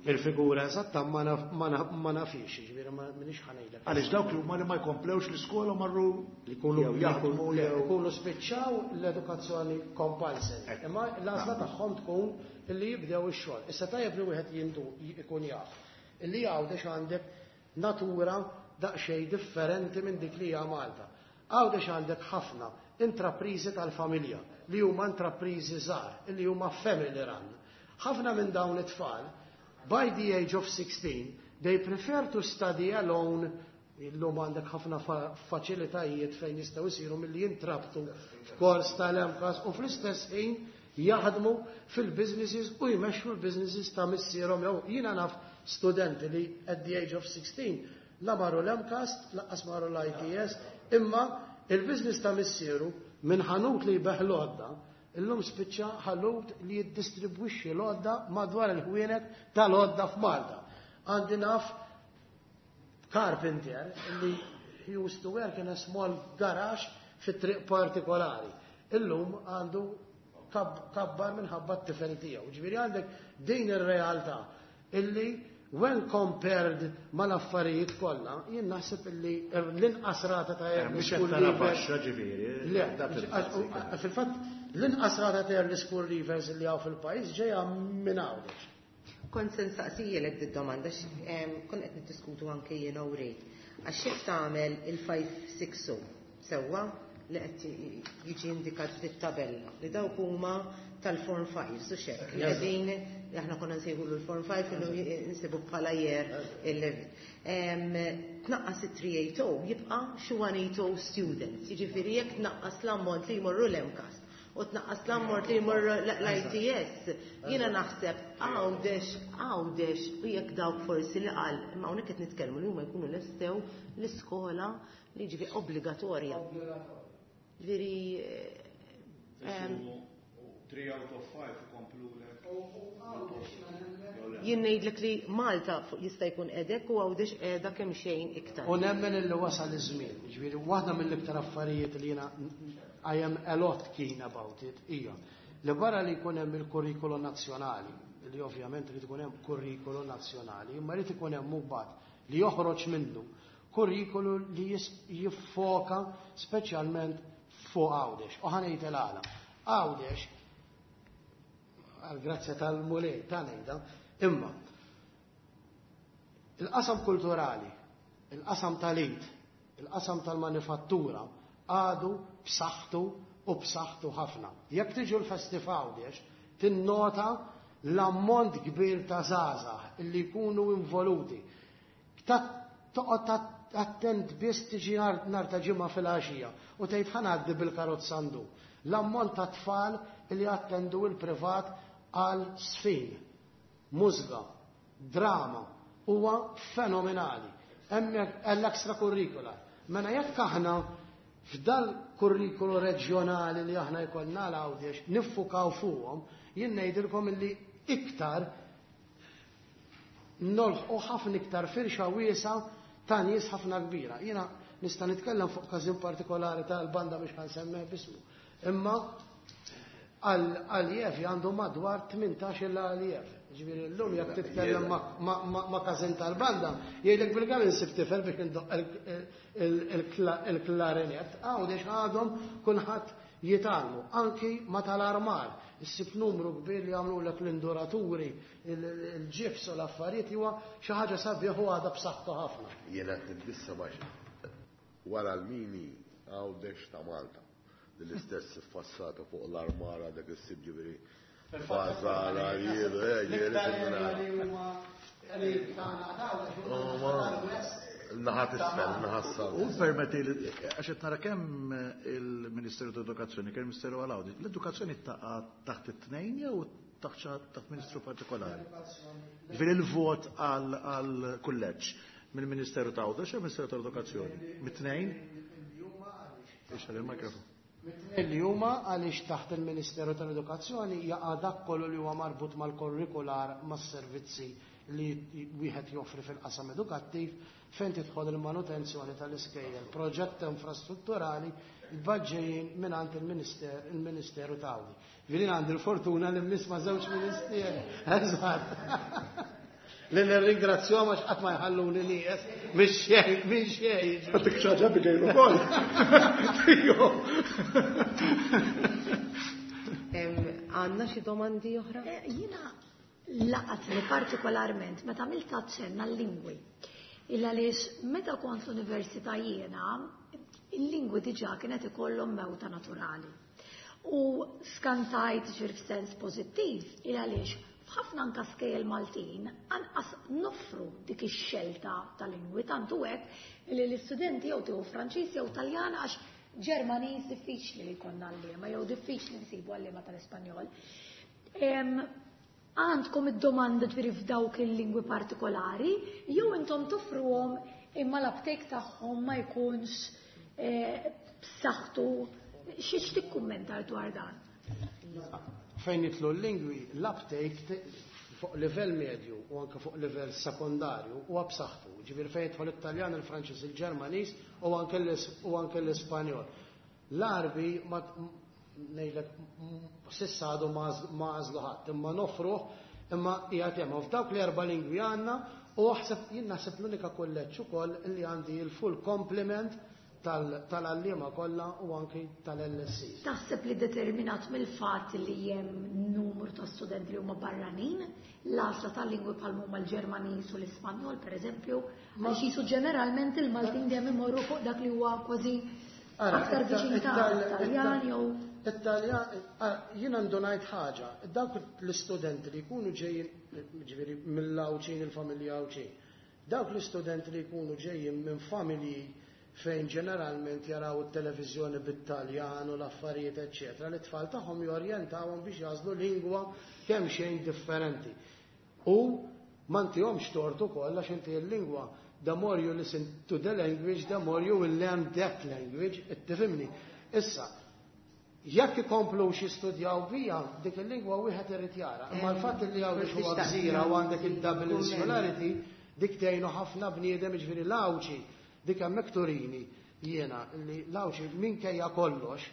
Il-figura eżatta ma naf-, ma naf-, ma nafix, ġifieri ma minix ħanejdlek. Għaliex dawk li huma li ma jkomplewx l-iskola marru li jkunu jew jaħdmu li jew jkunu spiċċaw l-edukazzjoni compulsory. Ekk. Imma l-għażla tagħhom tkun illi jibdew ix-xogħol. Issa tajjeb li wieħed jindu jkun jaf. Illi Għawdex għandek natura daqsxejn differenti minn dik li hija Malta. Għawdex għandek ħafna intrapriżi tal-familja li huma intrapriżi żgħar, li huma family run. Ħafna minn dawn it-tfal, by the age of sixteen, they prefer to study alone. Illum għandek ħafna fa-, faċilitajiet fejn jistgħu jsiru milli jintrabtu f'kors tal-M C A S u fl-istess ħin jaħdmu fil-businesses u jmexxu l-businesses ta' missierhom jew jiena naf studenti li at the age of sixteen la marru l-M C A S, lanqas marru l-I T S, imma il-business ta' missieru minn ħanut li jbeħ l-għodda, illum spiċċa ħanut li jiddistribwixxi l-għodda madwar il-ħwienet tal-għodda f'Malta. Għandi naf carpenter li he used to work in a small garage fit triq partikolari. Illum għandu kab-, kabbar minħabba t-tifel tiegħu. Ġifieri għandek din ir-realtà illi When compared mal-affarijiet kollha, jien naħseb illi l-inqas rata ta' early school leavers. Le, fil-fatt l-inqas rata ta' early school leavers li hawn fil-pajjiż ġejja minn Għawdex. Kont se nsaqsijilek did-domanda, kont qed niddiskutu anke jien u Ray. Għax jekk tagħmel il-five six o sewwa li qed jiġi indikat fit-tabella li dawk huma tal-Form five, su xek, li qegħdin aħna konna nsejħulu l-Form five illu nsibu bħala year eleven. Tnaqqas it-three eight oh jibqa' xi one eight oh students, jiġifieri jekk tnaqqas l-ammont li jmorru l-MCAST u tnaqqas l-ammont li jmorru l-I T S, jiena naħseb Għawdex, Għawdex u jekk dawk forsi li qal, imma hawnhekk qed nitkellmu li huma jkunu lestew l-iskola li ġifi obbligatorja. Ġifieri, three out of five ikomplu lek. Jien ngħidlek li Malta jista' jkun qedek u Għawdex qiegħda kemm xejn iktar. U nemmen illi wasal iż-żmien. Ġifieri waħda mill-iktar affarijiet li jiena I am a lot keen about it hija li barra li jkun hemm il-kurrikulu nazzjonali, li ovvjament irid ikun hemm kurrikulu nazzjonali, imma jrid ikun hemm mbagħad li joħroġ minnu kurrikulu li jiffoka speċjalment fuq Għawdex. U ħa ngħid il-għala. Għawdex, għal-grazzja tal-Mulej ta' ngħidha, imma il-qasam kulturali, il-qasam tal-id, il-qasam tal-manifattura għadu b'saħħtu u b'saħħtu ħafna. Jekk tiġu l-festi f'Għawdex, tinnota l-ammont kbir ta' żgħażagħ illi jkunu involuti. Toqgħod attent biss tiġi nhar ta' ġimgħa fil-għaxija u tgħid ħa ngħaddi bil-karozza ndu. L-ammont ta' tfal li attendu il-privat għal sfin, mużga, drama, huwa fenomenali. Hemmhekk l-extracurricular. Mela jekk aħna f'dal kurrikulu reġjonali li aħna jkollna l-Għawdex niffukaw fuqhom, jien ngħidilkom illi iktar nolħqu ħafna iktar firxa wiesa ta' nies ħafna kbira. Jiena nista' nitkellem fuq każin partikolari tal-banda biex ħansemmeh bismu. Imma għal-Jevi għandu madwar tmintax il għal-Jevi. Ġifieri llum jekk titkellem ma' każin tal-banda, jgħidlek bil-kemm insib tifel biex indoq il-klarinet. Għawdex għadhom kulħadd jitgħallmu, anki ma tal-armar. Issib numru kbir li jagħmlulek l-induraturi, il-ġifs u l-affarijiet huwa xi ħaġa sabiħ u għadha b'saħħtu ħafna. Jiena qed nitbissa għax wara l-mini Għawdex ta' Malta. L-istess fassata fuq l-armara dak is-sib ġifieri Fażala, jiedu, eh, Naħat isfel, naħat sal. U permetti li, għax qed nara kemm il-Ministeru ta' Edukazzjoni, kemm il-Ministeru għal Għawdex, l-edukazzjoni taqa' taħt it-tnejn jew taħt ministru partikolari? Ġifieri il-vot għal kulleġġ mill-Ministeru ta' Għawdex jew Ministeru ta' Edukazzjoni? Mit-tnejn? Ixħal il-mikrofon. Li huma għaliex taħt il-Ministeru tal-Edukazzjoni jaqa' dak kollu li huwa marbut mal-kurrikular mas-servizzi li wieħed joffri fil-qasam edukattiv fejn tidħol il-manutenzjoni tal-iskejjel, proġett infrastrutturali baġġejjin mingħand il-Ministeru ta' Għawdex. Ġifieri għandi l-fortuna li nisma' żewġ ministeri. Eżatt. Li nirringrazzjahom għax qatt ma jħalluni nieqes minn xejn, minn xejn. Għatik xi ħaġa bidejn ukoll. Għandna xi domandi oħra? Jiena laqatni partikolarment meta għamilt aċċenn għal-lingwi. Illa għaliex meta kont l-università jiena, il-lingwi diġà kienet ikollhom mewta naturali. U skantajt ġir f'sens pożittiv, illa għaliex f'ħafna anka skejjel Maltin anqas noffru dik ix-xelta tal-lingwi, tantu hekk li l-istudenti jew tieħu Franċiż jew Taljan għax Ġermaniż diffiċli li jkollna għalliema jew diffiċli nsibu għalliema tal-Ispanjol. Għandkom id-domanda ġifieri f'dawk il-lingwi partikolari jew intom toffruhom imma l-uptake tagħhom ma jkunx b'saħħtu. Xi tikkummenta dwar dan? Fejn jitlu l-lingwi, l-uptake fuq livell medju u anke fuq livell sekondarju huwa b'saħħtu. Ġifieri fejn jidħol it-Taljan, il-Franċiż, il-Ġermaniż u anke l-Ispanjol. L-Għarbi ma ngħidlek sissa għadu ma għażlu ħadd, imma nofruh Imma qiegħed hemm f'dawk l-erba' lingwi għandna u aħseb jien naħseb l-unika kulleġġ ukoll li għandi il-full complement tal-għalliema kollha u anki tal-L S C. Taħseb li determinat mill-fatt li hemm numru ta' studenti li huma barranin, l-għażla tal-lingwi bħal huma l-Ġermaniż u l-Ispanjol, pereżempju, għax jisu ġeneralment il-Maltin dejjem imorru fuq dak li huwa kważi aktar viċin ta' Taljan jew Italjan, jien għandu ngħid ħaġa, dawk l-istudenti li jkunu ġejjin, ġifieri mill-Għawdxin, il-familja Għawdxin, dawk l-istudenti li jkunu ġejjin minn familji fejn ġeneralment jaraw it-televiżjoni bit-Taljan u l-affarijiet, eċċetera, li tfal tagħhom jorjentawhom biex jagħżlu lingwa kemm xejn differenti. U ma ntihomx tort ukoll għax inti l-lingwa, the more you listen to the language, the more you will learn that language, tifhimni. Issa, jekk ikomplu jistudjaw bija, dik il-lingwa wieħed irid jara. Imma l-fatt li hawn huwa gżira u għandek il-double insularity, dik tgħinu ħafna bniedem, ġifieri l-Għawdxi, dik hemmhekk turini jiena li l-Għawdxi minkejja kollox,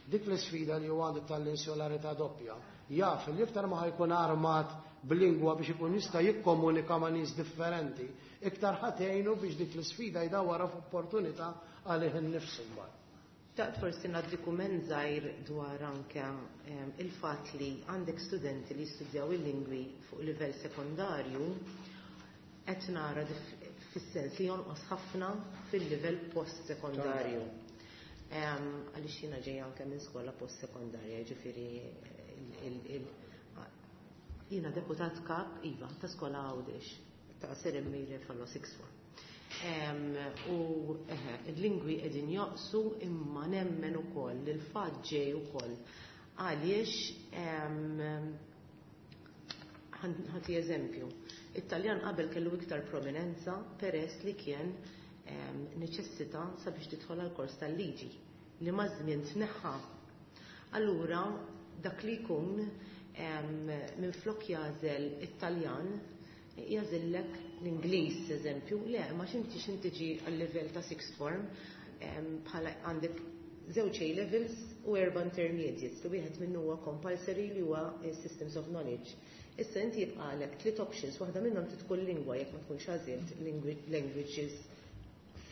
dik l-isfida li huwa għandu tal-insularità doppja, jaf li iktar ma ħa jkun armat b'lingwa biex ikun jista' jikkomunika ma' nies differenti, iktar ħa tgħinu biex dik l-isfida jdawwarha f'opportunità għalih innifsu mbagħad. Taqt forsi ngħaddi kumment żgħir dwar anke il-fatt li għandek studenti li jistudjaw il-lingwi fuq livell sekondarju, qed nara fis-sens li jonqos ħafna fil-livell post-sekondarju. Għaliex jiena ġejja anke minn skola post-sekondarja, ġifieri jiena deputat kap, iva, ta' skola Għawdex, ta' Sir Emile Refalo Sixth Form. U il-lingwi qegħdin joqsu, imma nemmen ukoll li l-fatt ġej ukoll għaliex, ħa nati eżempju, it-Taljan qabel kellu iktar prominenza peress li kien neċessità sabiex tidħol għal kors tal-liġi li maż-żmien tneħħa. Allura dak li jkun minn flok jagħżel it-Taljan jagħżillek l-Ingliż, eżempju, le, ma xinti xinti ġi għal-level ta' sixth form bħala għandek żewġ A levels u erba' intermediates li wieħed minnu huwa compulsory li huwa Systems of Knowledge. Issa inti jibqalek tliet options, waħda minnhom tkun lingwa jekk ma tkunx għażilt languages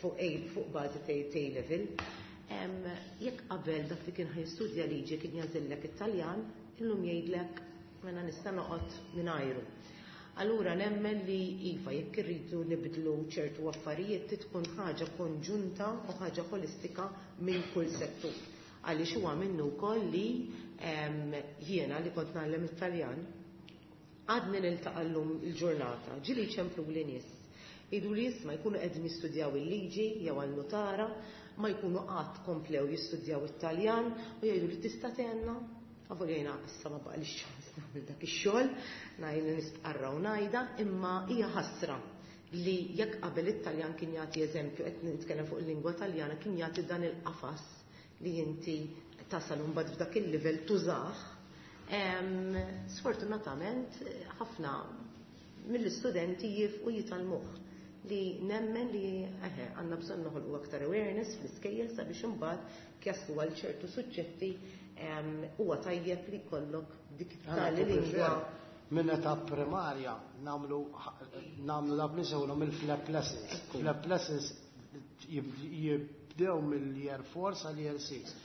fuq A fuq bażi ta' A level. Jekk qabel dak li kien ħa jistudja liġi kien jagħżillek it-Taljan, illum jgħidlek mela nista' noqgħod mingħajru. Allura nemmen li iva, jekk irridu nibdlu ċertu affarijiet tkun ħaġa konġunta u ħaġa holistika minn kull settur. Għaliex huwa minnu wkoll li jiena li kont ngħallem it-Taljan għadni niltaqa' llum il-ġurnata, ġieli ċemplu li nies. Jgħidu li jisma' jkunu qegħdin jistudjaw il-liġi jew għal-notara, ma jkunu qatt komplew jistudjaw it-Taljan u jgħidu li tista' tgħinna. Avolja jiena issa ma baqalix ċans nagħmel dak ix-xogħol, ngħid nistqarra u ngħidha, imma hija ħasra li jekk qabel it-Taljan kien jagħti eżempju, qed nitkellem fuq il-lingwa Taljana, kien jagħti dan il-qafas li inti tasal mbagħad f'dak il-livell tużah. Sfortunatament ħafna mill-istudenti jifqu jitgħallmuh, li nemmen li eħe għandna bżonn noħolqu aktar awareness fl-iskejjel sabiex imbagħad jaslu għal ċertu suġġetti huwa tajjeb li jkollok dik tali lingwa. Minn età primarja nagħmlu nagħmlu dak li sewlhom il-flap lessons. Flap lessons jibdew mill-year four sal-year six.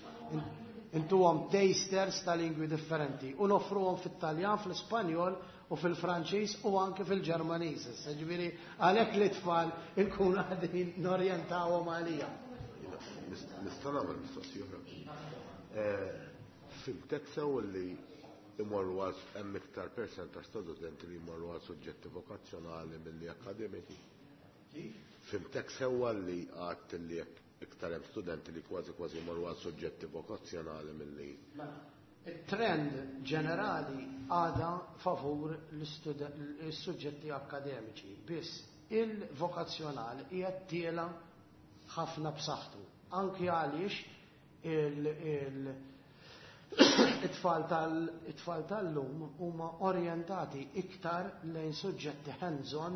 Intuhom tasters ta' lingwi differenti u noffruhom fit-Taljan, fl-Ispanjol u fil-Franċiż u anke fil-Ġermaniż. Ġifieri għalhekk li tfal inkunu qegħdin norjentawhom għalija. Nista' nagħmel mistoqsija oħra? Fhimtek sew li imorru għal hemm iktar percentaġġ ta' studenti li jmorru għal suġġetti vokazzjonali milli akademiċi? Fhimtek sewwa li għedt li iktar hemm studenti li kważi kważi jmorru għal suġġetti vokazzjonali milli Il-trend ġenerali għada favur l-suġġetti akademiċi, biss il-vokazzjonali hija tiela ħafna b'saħħtu. Anki għaliex it-tfal tal-it-tfal tal-lum huma orjentati iktar lejn suġġetti hands-on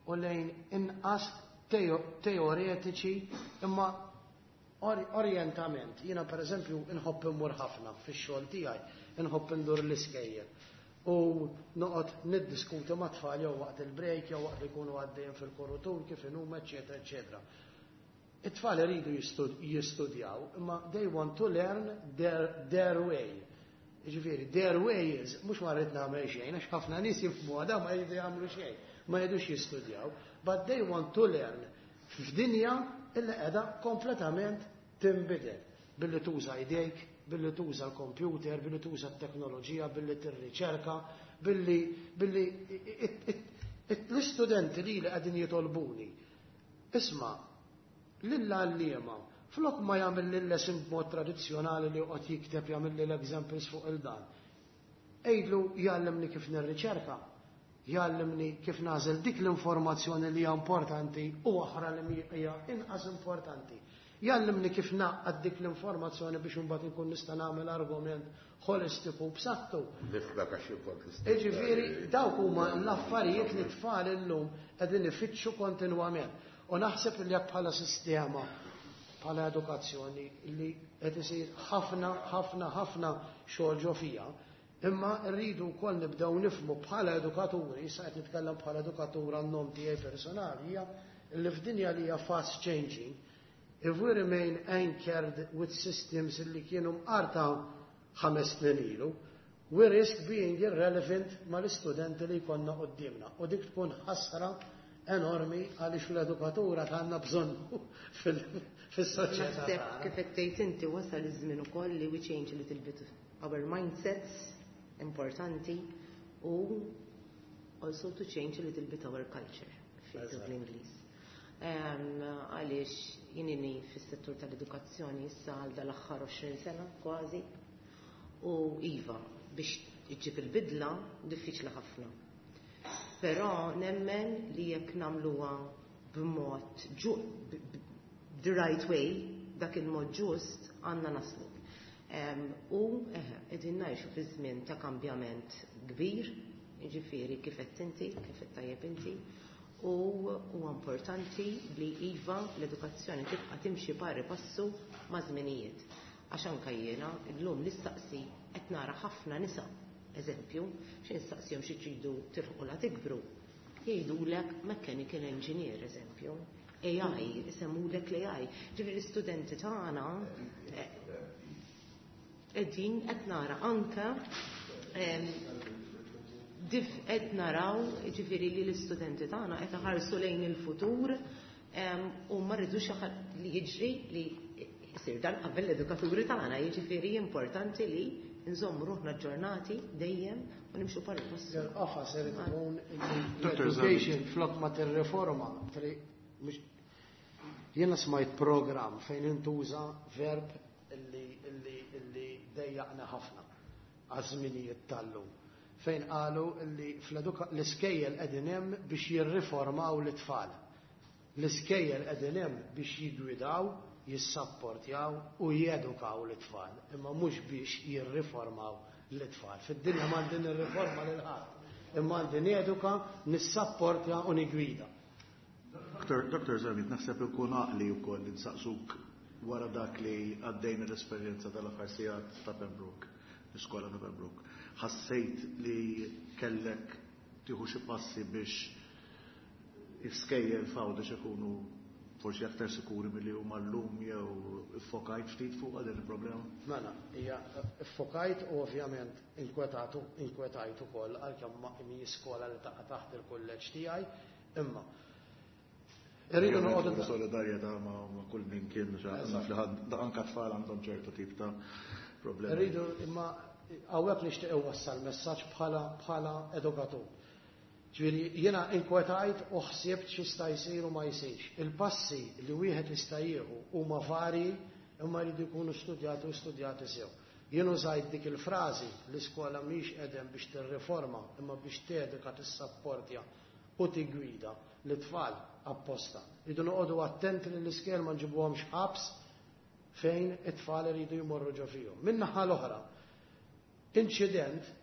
u lejn inqas teoretiċi, imma orientament. Jiena per eżempju inħobb immur ħafna fix-xogħol tiegħi, inħobb indur l-iskejjel. U noqgħod niddiskuti ma' tfal jew waqt il-break jew waqt li jkunu għaddejjin fil-korritur kif inhuma, eċetera, eċetera. It-tfal iridu jistudjaw, imma they want to learn their, their way. Ġifieri, their way is, mhux ma rrid nagħmel xejn, għax ħafna nies jifhmu għada ma jridu jagħmlu xejn, ma jridux jistudjaw, but they want to learn f'dinja illi qiegħda kompletament tinbidel billi tuża idejk, billi tuża l-computer, billi tuża t-teknoloġija, billi tirriċerka, billi billi l-istudenti li li qegħdin jitolbuni. Isma', lill-għalliema, flok ma jagħmel l-lesson b'mod tradizzjonali li joqgħod jikteb, jagħmel l-examples fuq il-dan. Għidlu jgħallimni kif nirriċerka, jgħallimni kif nagħżel dik l-informazzjoni li hija importanti u oħra li hija inqas importanti. Jgħallimni kif ngħaqqad dik l-informazzjoni biex imbagħad inkun nista' nagħmel argument holistiku b'saħħtu. Nifhmek għax kont l-istess. Jiġifieri dawk huma l-affarijiet li tfal illum qegħdin ifittxu kontinwament. U naħseb li jekk bħala sistema, bħala edukazzjoni li qed isir ħafna, ħafna, ħafna xogħol ġo fija, imma rridu wkoll nibdew nifhmu bħala edukaturi, issa qed nitkellem bħala edukatur għan-nom tiegħi personali, hija li f'dinja li hija fast changing, if we remain anchored with systems li kienu mqarta ħames snin ilu, we risk being irrelevant mal-istudenti li jkollna quddiemna. U dik tkun ħasra enormi għaliex l-edukatura għandna bżonn fis-soċjetà. Naħseb tagħna. Kif qed tgħid inti, wasal iż-żmien ukoll li we change a little bit our mindsets, importanti, u also to change a little bit our culture, kif bl-Ingliż. Għaliex jien ili fis-settur tal-edukazzjoni issa għal dal-aħħar għoxrin sena kważi u iva, biex iġġib il-bidla diffiċli ħafna. Però nemmen li jekk nagħmluha b'mod the right way, dak il-mod ġust, għandna naslu. U eħe, qegħdin ngħixu fi żmien ta' kambjament kbir, jiġifieri kif qed inti, kif qed tajjeb inti, u huwa importanti li iva l-edukazzjoni tibqa' timxi pari passu ma' żminijiet. Għax anke jiena llum nistaqsi, qed nara ħafna nisa, eżempju, xi nistaqsihom xi tridu tilħqu la tikbru. Jgħidulek mechanical engineer, eżempju. A I, isemmulek l-A I. Ġifieri l-istudenti tagħna eh, qegħdin qed nara anke dif qed naraw, ġifieri, li l-istudenti tagħna qed iħarsu lejn il-futur u ma rridux li jiġri li jsir dan qabel l-edukaturi tagħna, jiġifieri importanti li nżommu ruħna aġġornati dejjem u nimxu pari passu. Il-qafas irid ikun l-education flok ma tirriforma. Jiena smajt program fejn intuża verb illi illi illi dejjaqna ħafna għaż-żminijiet tal-lum. Fejn qalu illi l-iskejjel qegħdin hemm biex jirriformaw l-itfal. L-iskejjel qegħdin hemm biex jiggwidaw, jissapportjaw u jedukaw l-itfal, imma mhux biex jirriformaw l-itfal. Fid-dinja m'għandi nirriforma lil ħadd, imma għandi neduka, nissapportja u nigwida. Doktor Zammit, naħseb ikun għaqli wkoll li nsaqsuk wara dak li għaddejna, l-esperjenza tal-aħħar sigħat ta' Pembroke, l-iskola ta' Pembroke. Ħassejt li kellek tieħu xi passi biex l-iskejjel f'Għawdex ikunu forsi aktar sikuri milli huma llum jew iffokajt ftit fuq din il-problema? Mela, hija iffokajt u ovvjament inkwetatu, inkwetajt ukoll, għalkemm ma mi skola li taqa' taħt il-kulleġġ tiegħi, imma irridu noqogħdu solidarjetà ma' kull min kien, naf li ħadd anka tfal għandhom ċertu tip ta' problemi. Irridu, imma hawnhekk nixtieq iwassal messaġġ bħala bħala edukatur. Ġifieri jiena inkwetajt u ħsibt x'jista' jsir u ma jsirx. Il-passi li wieħed jista' jieħu huma varji, imma jridu jkunu studjati u studjati sew. Jien użajt dik il-frażi, l-iskola mhix qegħdem biex tirriforma imma biex teduka, tissapportja u tigwida l-tfal apposta. Rridu noqogħdu attenti li l-iskejjel ma nġibuhomx ħabs fejn it-tfal iridu jmorru ġo fihom. Min-naħa l-oħra, inċident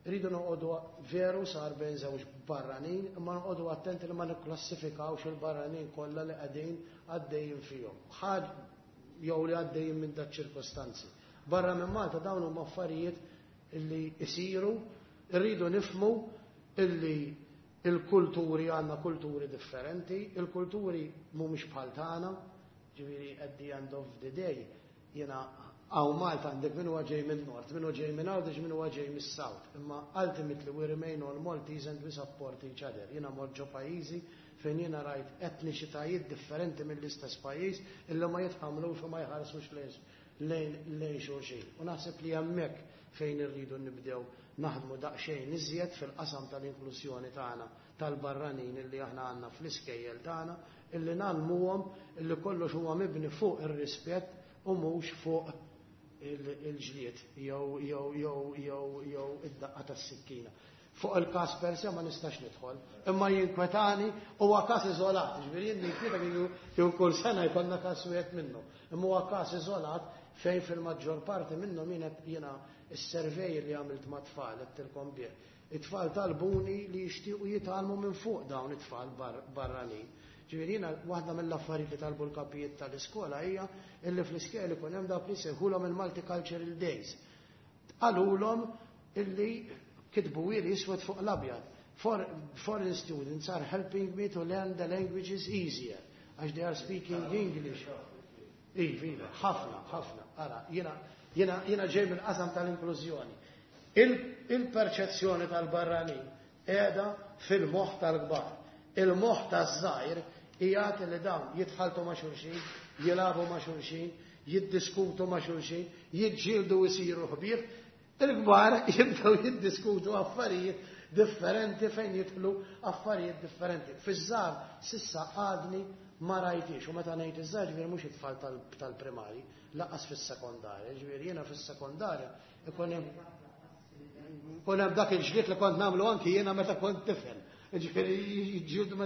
rridu noqogħdu, veru sar bejn żewġ barranin, imma noqogħdu attenti li ma nikklassifikawx il-barranin kollha li qegħdin għaddejjin fihom. Ħadd jew li għaddejjin minn dak ċirkostanzi. Barra minn Malta dawn huma affarijiet li jsiru. Irridu nifhmu illi il-kulturi għandna kulturi differenti, il-kulturi mhumiex bħal tagħna, ġifieri at the end of the day, jiena hawn Malta għandek min huwa ġej minn Nord, min huwa ġej minn Għawdex, min huwa ġej mis-South. Imma ultimately we remain all Maltese and we support each other. Jiena mort ġo pajjiżi fejn jiena rajt etniċitajiet differenti mill-istess pajjiż illi ma jitħamlux u ma jħarsux lejn lejn xulxin. U naħseb li hemmhekk fejn irridu nibdew naħdmu daqsxejn iżjed fil-qasam tal-inklużjoni tagħna tal-barranin illi aħna għandna fl-iskejjel tagħna, illi ngħallmuhom illi kollox huwa mibni fuq ir-rispett u mhux fuq il-ġlied jew jew jew jew jew id-daqqa tas-sikkina. Fuq il-każ per se ma nistax nidħol, imma jinkwetani, huwa każ iżolat, ġifieri jien ninkwieta kieku kull sena jkollna każ wieħed minnhom. Imma huwa każ iżolat fejn fil-maġġor parti minnhom jien jiena is-survey li għamilt ma' tfal għedtilkom bih. It-tfal talbuni li jixtiequ jitgħallmu minn fuq dawn it-tfal barranin. Ġifieri jiena waħda mill-affarijiet li talbu l-kapijiet tal-iskola hija illi fl-iskejjel ikun hemm dak li jsejħulhom il-Multicultural Days. Qalulhom illi kitbu ili iswed fuq l-abjad. For, foreign students are helping me to learn the languages easier, għax they are speaking English. Iva, iva, ħafna, ħafna. Ara, jiena, jiena, jiena ġej mill-qasam tal-inklużjoni. Il-perċezzjoni tal-barranin qiegħda fil-moħħ tal-kbar. Il-moħħ taż-żgħir qiegħed li dawn jitħaltu ma' xulxin, jilagħbu ma' xulxin, jiddiskutu ma' xulxin, jiġġieldu jsiru ħbieb. Il-kbar jibdew jiddiskutu affarijiet differenti fejn jidħlu affarijiet differenti. Fiż-żgħar s'issa għadni ma rajtix, u meta ngħid iż-żgħar ġifieri mhux it-tfal tal-primari, lanqas fis-sekondarja, ġifieri jiena fis-sekondarja ikun hemm ikun hemm dak il-ġlied li kont nagħmlu anki jiena meta kont tifel. Ġifieri jiġġieldu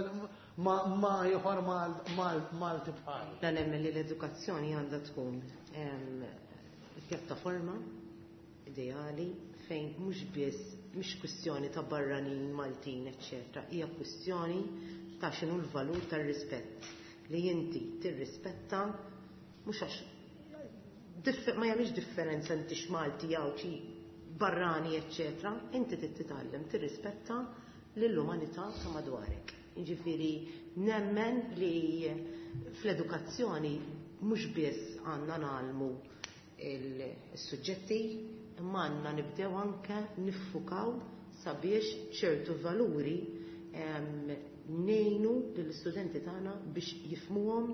ma ma ieħor Malti bħali. Dan nemmen li l-edukazzjoni għandha tkun pjattaforma ideali fejn mhux biss mhux kwistjoni ta' barranin Maltin, eċċetera, hija kwistjoni ta' x'inhu l-valur tar-rispett li inti tirrispetta mhux għax ma jagħmilx differenza inti x'Malti jew xi barrani, eċċetera, inti trid titgħallem tirrispetta lill-umanità ta' madwarek. Jiġifieri nemmen li fl-edukazzjoni mhux biss għandna ngħallmu il-suġġetti, imma għandna nibdew anke niffukaw sabiex ċertu valuri ngħinu lill-istudenti tagħna biex jifhmuhom,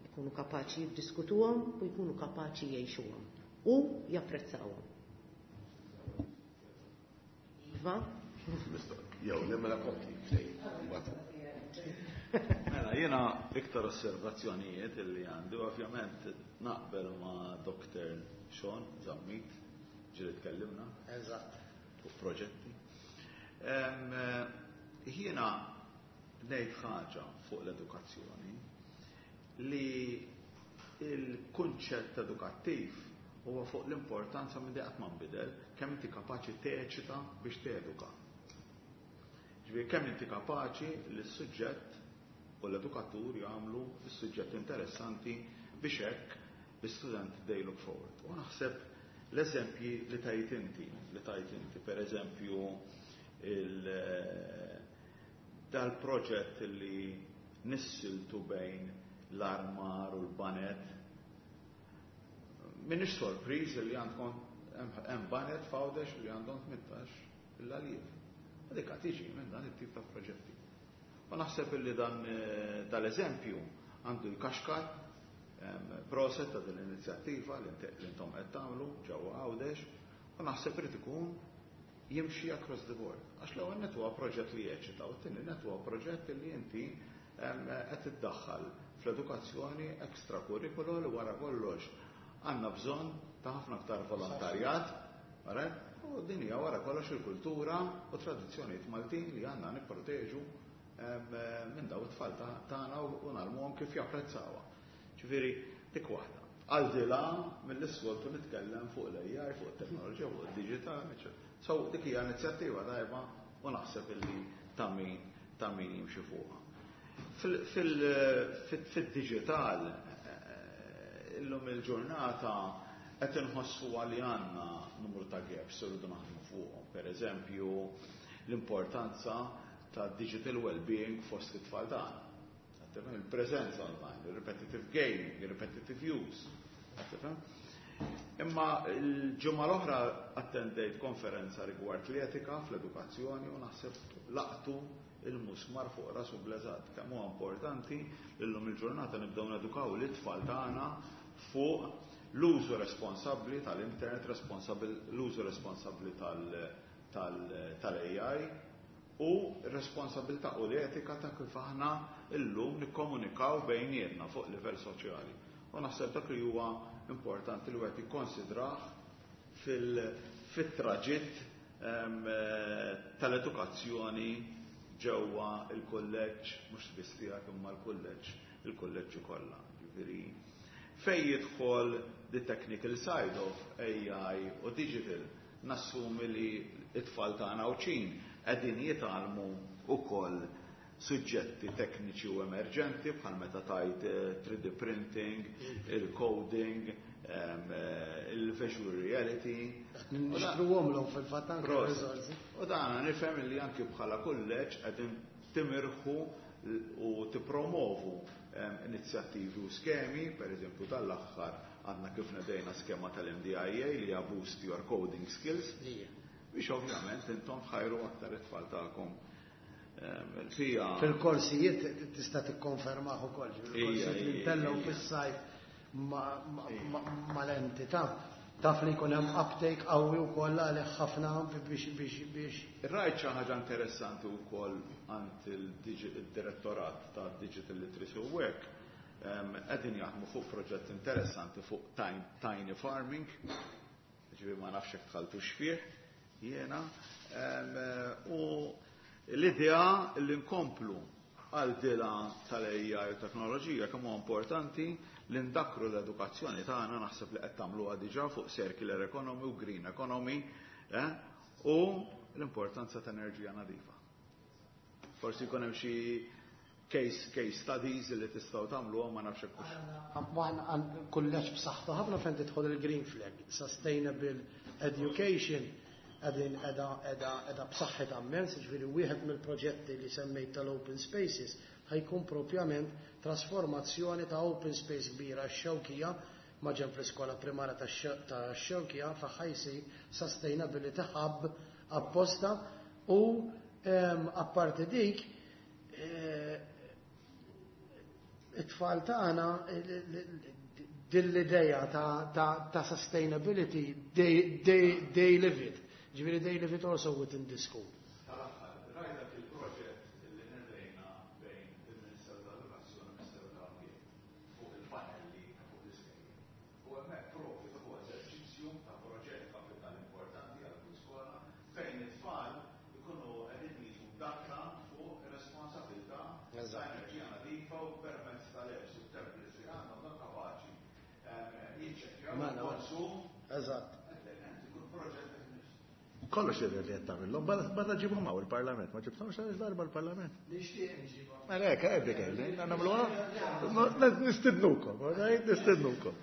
jkunu kapaċi jiddiskutuhom u jkunu kapaċi jgħixuhom u japprezzawhom. Iva? Jew, nemmela kompli, ftejn. Mela, jiena iktar osservazzjonijiet illi għandi, ovvjament naqbel ma' Doktor Sean Zammit, ġieli tkellimna. Eżatt. Fuq proġetti. Jiena ngħid ħaġa fuq l-edukazzjoni li il-kunċett edukattiv huwa fuq l-importanza minn qatt ma nbidel kemm inti kapaċi teċita biex teduka. Ġifieri kemm inti kapaċi li s-suġġett u l-edukatur jagħmlu s-suġġett interessanti biex hekk l-istudent they look forward. U naħseb l-eżempji li tajt inti, li tajt inti, per eżempju, dal-proġett li nissiltu bejn l-armar u l-baned. Minix sorpriż li għandkom hemm baned f'Għawdex li għandhom tmintax l-għaliev. Dik tiġi minn dan it-tip ta' proġetti. U naħseb li dan dal-eżempju għandu jkaxkar proset ta' din l-inizjattiva li intom qed tagħmlu ġewwa Għawdex u naħseb irid ikun jimxi across the board. Għax l-ewwel nett huwa proġett li jeċita u t-tieni nett huwa proġett li inti qed iddaħħal fl-edukazzjoni extracurricular li wara kollox għandna bżonn ta' ħafna aktar volontarjat, u din hija wara kollox il-kultura u tradizzjonijiet Maltin li għandna nipproteġu minn daw it-tfal tagħna u ngħallmuhom kif japprezzawha. Ġifieri dik waħda. Għal dilà mill-issoltu nitkellem fuq l-A I, fuq it-teknoloġija, fuq id-digital, eċċetera. So dik hija inizjattiva tajba u naħseb illi ta' min ta' min jimxi fuqha. Fil-digital illum il-ġurnata Qed inħossu li għandna numru ta' gaps irridu naħdmu fuqhom. Per eżempju, l-importanza ta' digital well-being fost it-tfal tagħna. Il-preżenza online, il-repetitive gaming, il-repetitive use. Imma l-ġimgħa l-oħra attendejt konferenza rigward l-etika fl-edukazzjoni u naħseb laqtu il-musmar fuq rasu bl-eżatt. Kemm huwa importanti illum il-ġurnata nibdew nedukaw l-itfal tagħna fuq l-użu responsabbli tal-internet, l-użu responsabbli tal-A I u responsabilità u l-etika ta' kif aħna illum nikkomunikaw bejnietna fuq livell soċjali. U naħseb dak li huwa importanti li wieħed jikkonsidrah fil-traġitt tal-edukazzjoni ġewwa il-kulleġġ, mhux biss tiegħek imma l-kulleġġ, il-kulleġġi kollha. Ġifieri fej jidħol the technical side of A I u digital, nassumi li it-tfal tagħna u ċin qegħdin jitgħallmu ukoll suġġetti tekniċi u emerġenti bħal meta tajt three D printing, il-coding, il-visual reality. Nixtruhom l fil-fatt anke riżorsi. U dan nifhem li anki bħala kulleġġ qegħdin timirħu u tippromovu inizjattivi u skemi, per eżempju tal-aħħar għandna kif nedejna skema tal-M D I A li hija Boost Your Coding Skills, biex ovvjament intom tħajru aktar it-tfal tagħkom. Fija. Fil-korsijiet tista' tikkonfermaħ ukoll, fil-korsijiet li ntellgħu fis-sajf mal-entità taf li jkun hemm uptake qawwi wkoll għalih ħafna biex biex biex. Rajt xi ħaġa interessanti wkoll għand il-direttorat ta' Digital Literacy u Work, qegħdin jaħdmu fuq proġett interessanti fuq tiny farming, ġifieri ma nafx hekk dħaltux fih jiena, u l-idea li nkomplu għal dila tal-A I u teknoloġija, kemm huwa importanti li ndakru l-edukazzjoni tagħna, naħseb li qed tagħmluha diġà, fuq circular economy u green economy eh, u l-importanza ta' enerġija nadifa. Forsi jkun hemm xi case, case studies li tistgħu tagħmluhom, ma nafx hekk. Aħna kulleġġ b'saħħtu ħafna fejn tidħol il-Green Flag, Sustainable Education qegħdin qiegħda qiegħda qiegħda b'saħħitha immens, ġifieri wieħed mill-proġetti li semmejt tal-open spaces ħa jkun propjament trasformazzjoni ta' open space kbira x-Xewkija ma' ġenb l-iskola primarja ta' Xewkija fa' ħa jsir Sustainability Hub apposta u apparti dik eh, it-tfal tagħna din l-ideja ta', ta, ta sustainability, they, they, they live it. Ġifieri they live it also within the school. Tal-aħħar, rajt dak il-proġett li nedejna bejn il-Ministeru tal-Edukazzjoni u il-Ministeru tal-Ambjent fuq il-panelli fuq l-iskejjel. U hemmhekk propju dak huwa eżerċizzju ta' proġett kapitali importanti għal kull skola fejn it-tfal ikunu qegħdin jiġu mdakkra fuq ir-responsabilità ta' enerġija nadifa u permezz tal-apps u tablets li għandhom dan kapaċi jiċċekkjaw Mela. il-konsum. Eżatt. Ikun proġett innifsu. Kollox jidher li qed tagħmilhom, barra ġibhom hawn il-Parlament, ma ġibthomx għaliex darba l-Parlament. Nixtieq nġibha. Mela hekk, Abigail, nagħmluha? Nistidnukom, right? Nistidnukom.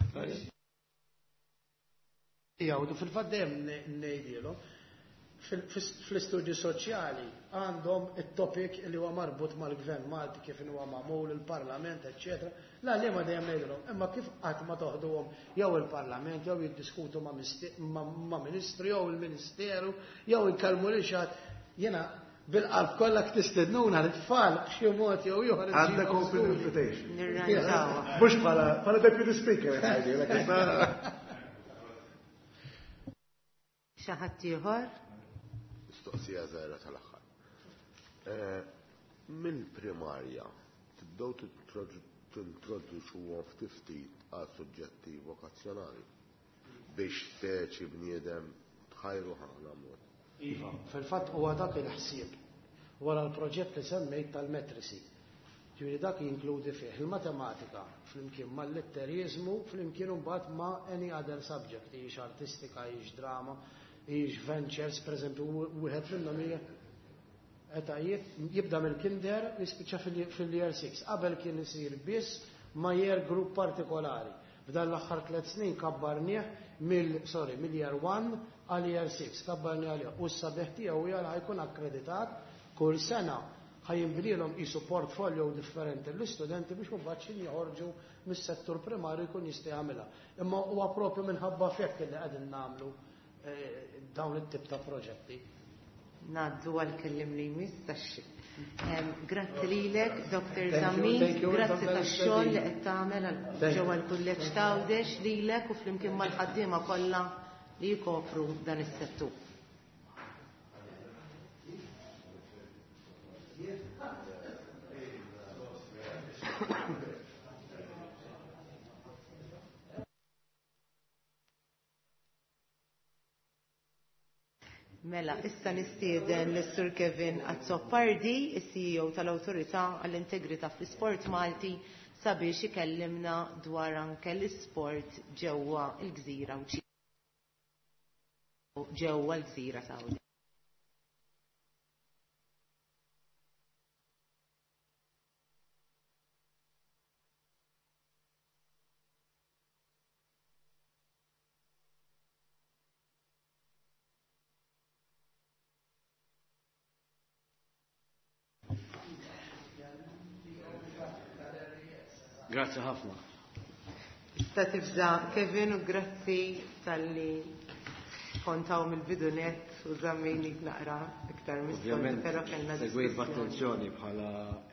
Jgħidu fil-fatt dejjem ngħidilhom fl-istudju soċjali għandhom it-topic li huwa marbut mal-gvern Malti, kif huwa magħmul il-Parlament, eċċetera. La li ma dejjem ngħidilhom, imma kif qatt ma toħduhom jew il-Parlament jew jiddiskutu ma' misti- ma' ma' ministru jew il-Ministeru jew ikellmu lil xi ħadd, jiena bil-qalb kollha tistednuna l-tfal b'xi mod jew ieħor. Għandek open invitation. Nirranġawha. Mhux bħala bħala deputy speaker ngħidilek, issa. Xi ħadd ieħor? Mistoqsija żgħira tal-aħħar. Eh, Mill-primarja tibdew tintroduċuhom ftit ftit għal suġġetti vokazzjonali biex speċi bniedem tħajru ħana mod. Iva, fil-fatt huwa dak il-ħsieb wara l-proġett li semmejt tal-metrisi. Ġifieri dak jinkludi fih il-matematika flimkien mal-litterizmu flimkien imbagħad ma' any other subject, hijiex artistika, hijiex drama, hijiex ventures, pereżempju wieħed minnhom hija etajiet jibda mill-kinder jispiċċa fil-year six. Qabel kien isir biss ma' year group partikolari. F'dan l-aħħar tliet snin kabbarnieh mill sorry, mill year one għal year six, kabbarnieh għalih. U s-sabiħ tiegħu jara jkun akkreditat kull sena ħa jinbnielhom qisu portfolio differenti l-istudenti biex mbagħad xi joħorġu mis-settur primarju jkun jista' jagħmilha. Imma huwa propju minħabba f'hekk li qegħdin nagħmlu dawn it-tip ta' proġetti. Ngħaddu għal-kellim li jmiss tax Grazzi lilek, Doktor Zammit, grazzi tax-xogħol li qed tagħmel ġewwa l-Kulleġġ t'Għawdex lilek u flimkien mal-ħaddiema kollha li jkopru dan is-settur. Mela, issa nistieden lis-Sur Kevin Azzopardi, is-C E O tal-Awtorità għall-Integrità fl-Isport Malti, sabiex ikellimna dwar anke l-isport ġewwa l-Gżira ġewwa l-Gżira Saudi. Grazzi ħafna. Sta tibża Kevin u grazzi tal-li kontaw mill-bidunet u żammejnik naqra iktar mis-soltu, però kellna Segwejt diskussjoni. b'attenzjoni bħala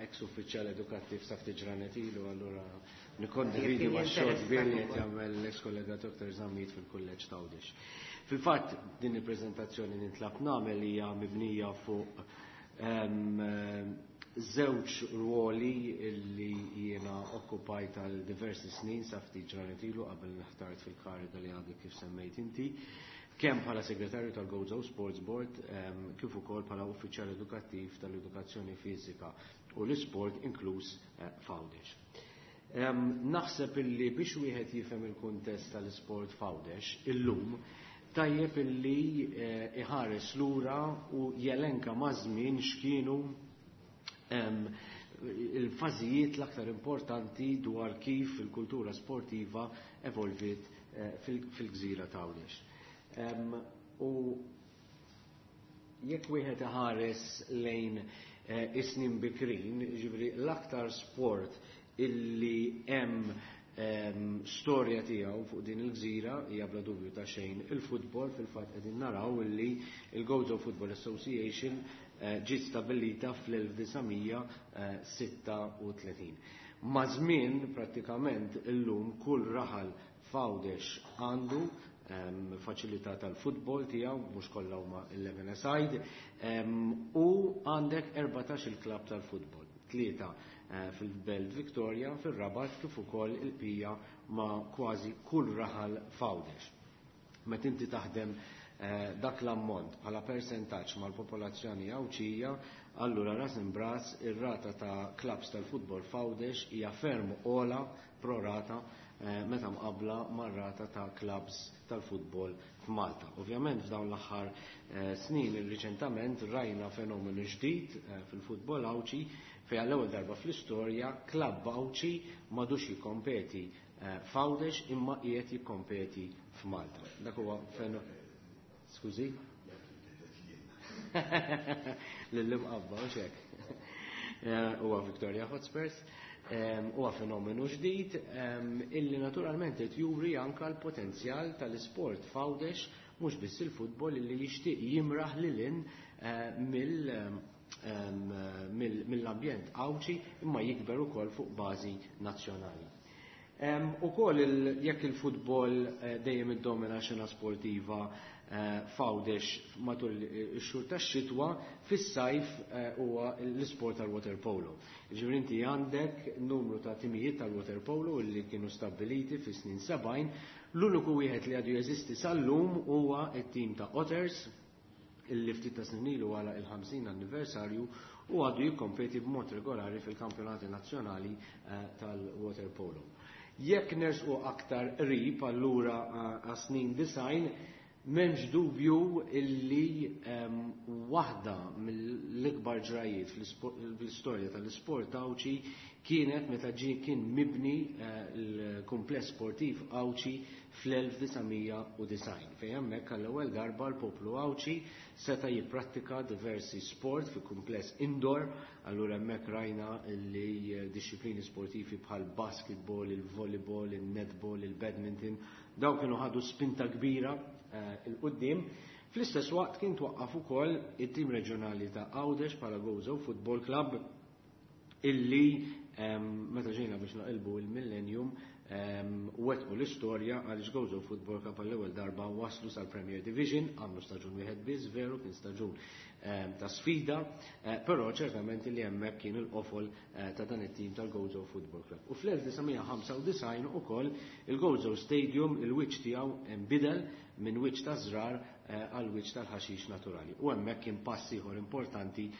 ex uffiċjal edukattiv sa ftit ġranet ilu, allura nikkondividi Jekk ma' xogħol jinteressa kbir li qed ukoll. jagħmel l-ex kollega Doktor Zammit fil-Kulleġġ t'Għawdex. Fil-fatt din il-preżentazzjoni nintlab nagħmel hija mibnija fuq, ehm, żewġ ruoli li jiena okkupajt għal diversi snin sa ftit ġranet ilu qabel nħtart fil-kariga li għadek kif semmejt inti, kemm bħala segretarju tal-Gozo Sports Board, ehm, kif ukoll bħala uffiċjal edukattiv tal-edukazzjoni fiżika u l-isport inkluż, eh, f'Għawdex. Ehm, naħseb illi biex wieħed jifhem il-kuntest tal-isport f'Għawdex illum tajjeb illi, eh, iħares lura u jelenka maż-żmien x'kienu, ehm, il-fażijiet l-aktar importanti dwar kif il-kultura sportiva evolviet, eh, fil-, fil-gżira ta' Għawdex. Ehm, u jekk wieħed iħares lejn, eh, is-snin bikrin, ġifieri l-aktar sport illi hemm, ehm, storja tiegħu fuq din il-gżira hija bla dubju ta' xejn il-futbol. Fil-fatt qegħdin naraw illi il-Gozo Football Association, eh, ġiet stabbilita fl-elf disa' sitta u tletin. Ma' żmien prattikament illum kull raħal f'Għawdex għandu, ehm, faċilità tal-futbol tiegħu, mhux kollha huma eleven aside, ehm, u għandek erbatax il-klabb tal-futbol, tlieta, eh, fil-Belt Victoria, fil-Rabat, kif ukoll il-Pija ma' kważi kull raħal f'Għawdex. Meta inti taħdem, eh, dak l-ammont bħala persentaġġ mal-popolazzjoni Għawdxija, allura ras imbras ir-rata ta' klabbs tal-futbol f'Għawdex hija ferm ogħla prorata, eh, meta mqabbla mar-rata ta' klabbs tal-futbol f'Malta. Ovvjament f'dawn l-aħħar, eh, snin riċentament rajna fenomenu ġdid, eh, fil-futbol Għawdxi fejn għall-ewwel darba fl-istorja klabb Għawdxi m'għadux jikkompeti, eh, f'Għawdex imma qiegħed jikkompeti f'Malta. Dak huwa fenomenu. Skużi? Lill-imqabba, mhux hekk. Eh, huwa Victoria Hotspurs. Ehm, huwa fenomenu ġdid, ehm, illi naturalment qed juri anke l-potenzjal tal-isport f'Għawdex, mhux biss il-futbol illi jixtieq jimraħ lil hinn, eh, mill, ehm, mill, mill-ambjent Għawdxi imma jikber ukoll fuq bażi nazzjonali. Ehm, ukoll il-, jekk il-futbol, eh, dejjem iddomina xena sportiva, eh, f'Għawdex matul ix-xhur tax-xitwa, fis-sajf, eh, huwa l-isport tal-waterpolo. Ġifieri inti għandek numru ta' timijiet tal-waterpolo li kienu stabbiliti fis-snin sebgħin. L-uniku wieħed li għadu jeżisti sal-lum huwa t-tim ta' Otters, illi ftit ta' snin ilu għala il-ħamsin anniversarju u għadu jikkompeti b'mod regolari fil-kampjonati nazzjonali, eh, tal-waterpolo. Jekk nersqu aktar qrib allura, eh, għas-snin design, m'hemmx dubju illi, ehm, waħda mill-ikbar ġrajiet fl-istorja tal-isport Għawdxi kienet meta ġie kien mibni l-kumpless sportiv Għawdxi fl-elf disa' mija u disgħin, fejn hemmhekk għall-ewwel darba l-poplu Għawdxi seta' jipprattika diversi sport fi kumpless indoor. Allura hemmhekk rajna li disċiplini sportivi bħal basketball, il-volleyball, il-netball, il-badminton, daw kienu ħadu spinta kbira il-qudiem. Fl-istess waqt kien twaqqaf ukoll it-tim reġjonali ta' Għawdex bħala Gozo Football Club, illi meta ġejna biex naqilbu il-millennium wettqu l-istorja għaliex Gozo Football Club għall-ewwel darba waslu sal-Premier Division, għamlu staġun wieħed biss, veru kien staġun ta' sfida, però ċertament li hemmhekk kien il-qofol ta' dan it-tim tal-Gozo Football Club. U fl-elf disa' mija ħamsa u disgħin ukoll il-Gozo Stadium il-wiċċ tiegħu nbidel minn wiċċ ta' żrar għal wiċċ tal-ħaxix naturali. U hemmhekk kien pass ieħor importanti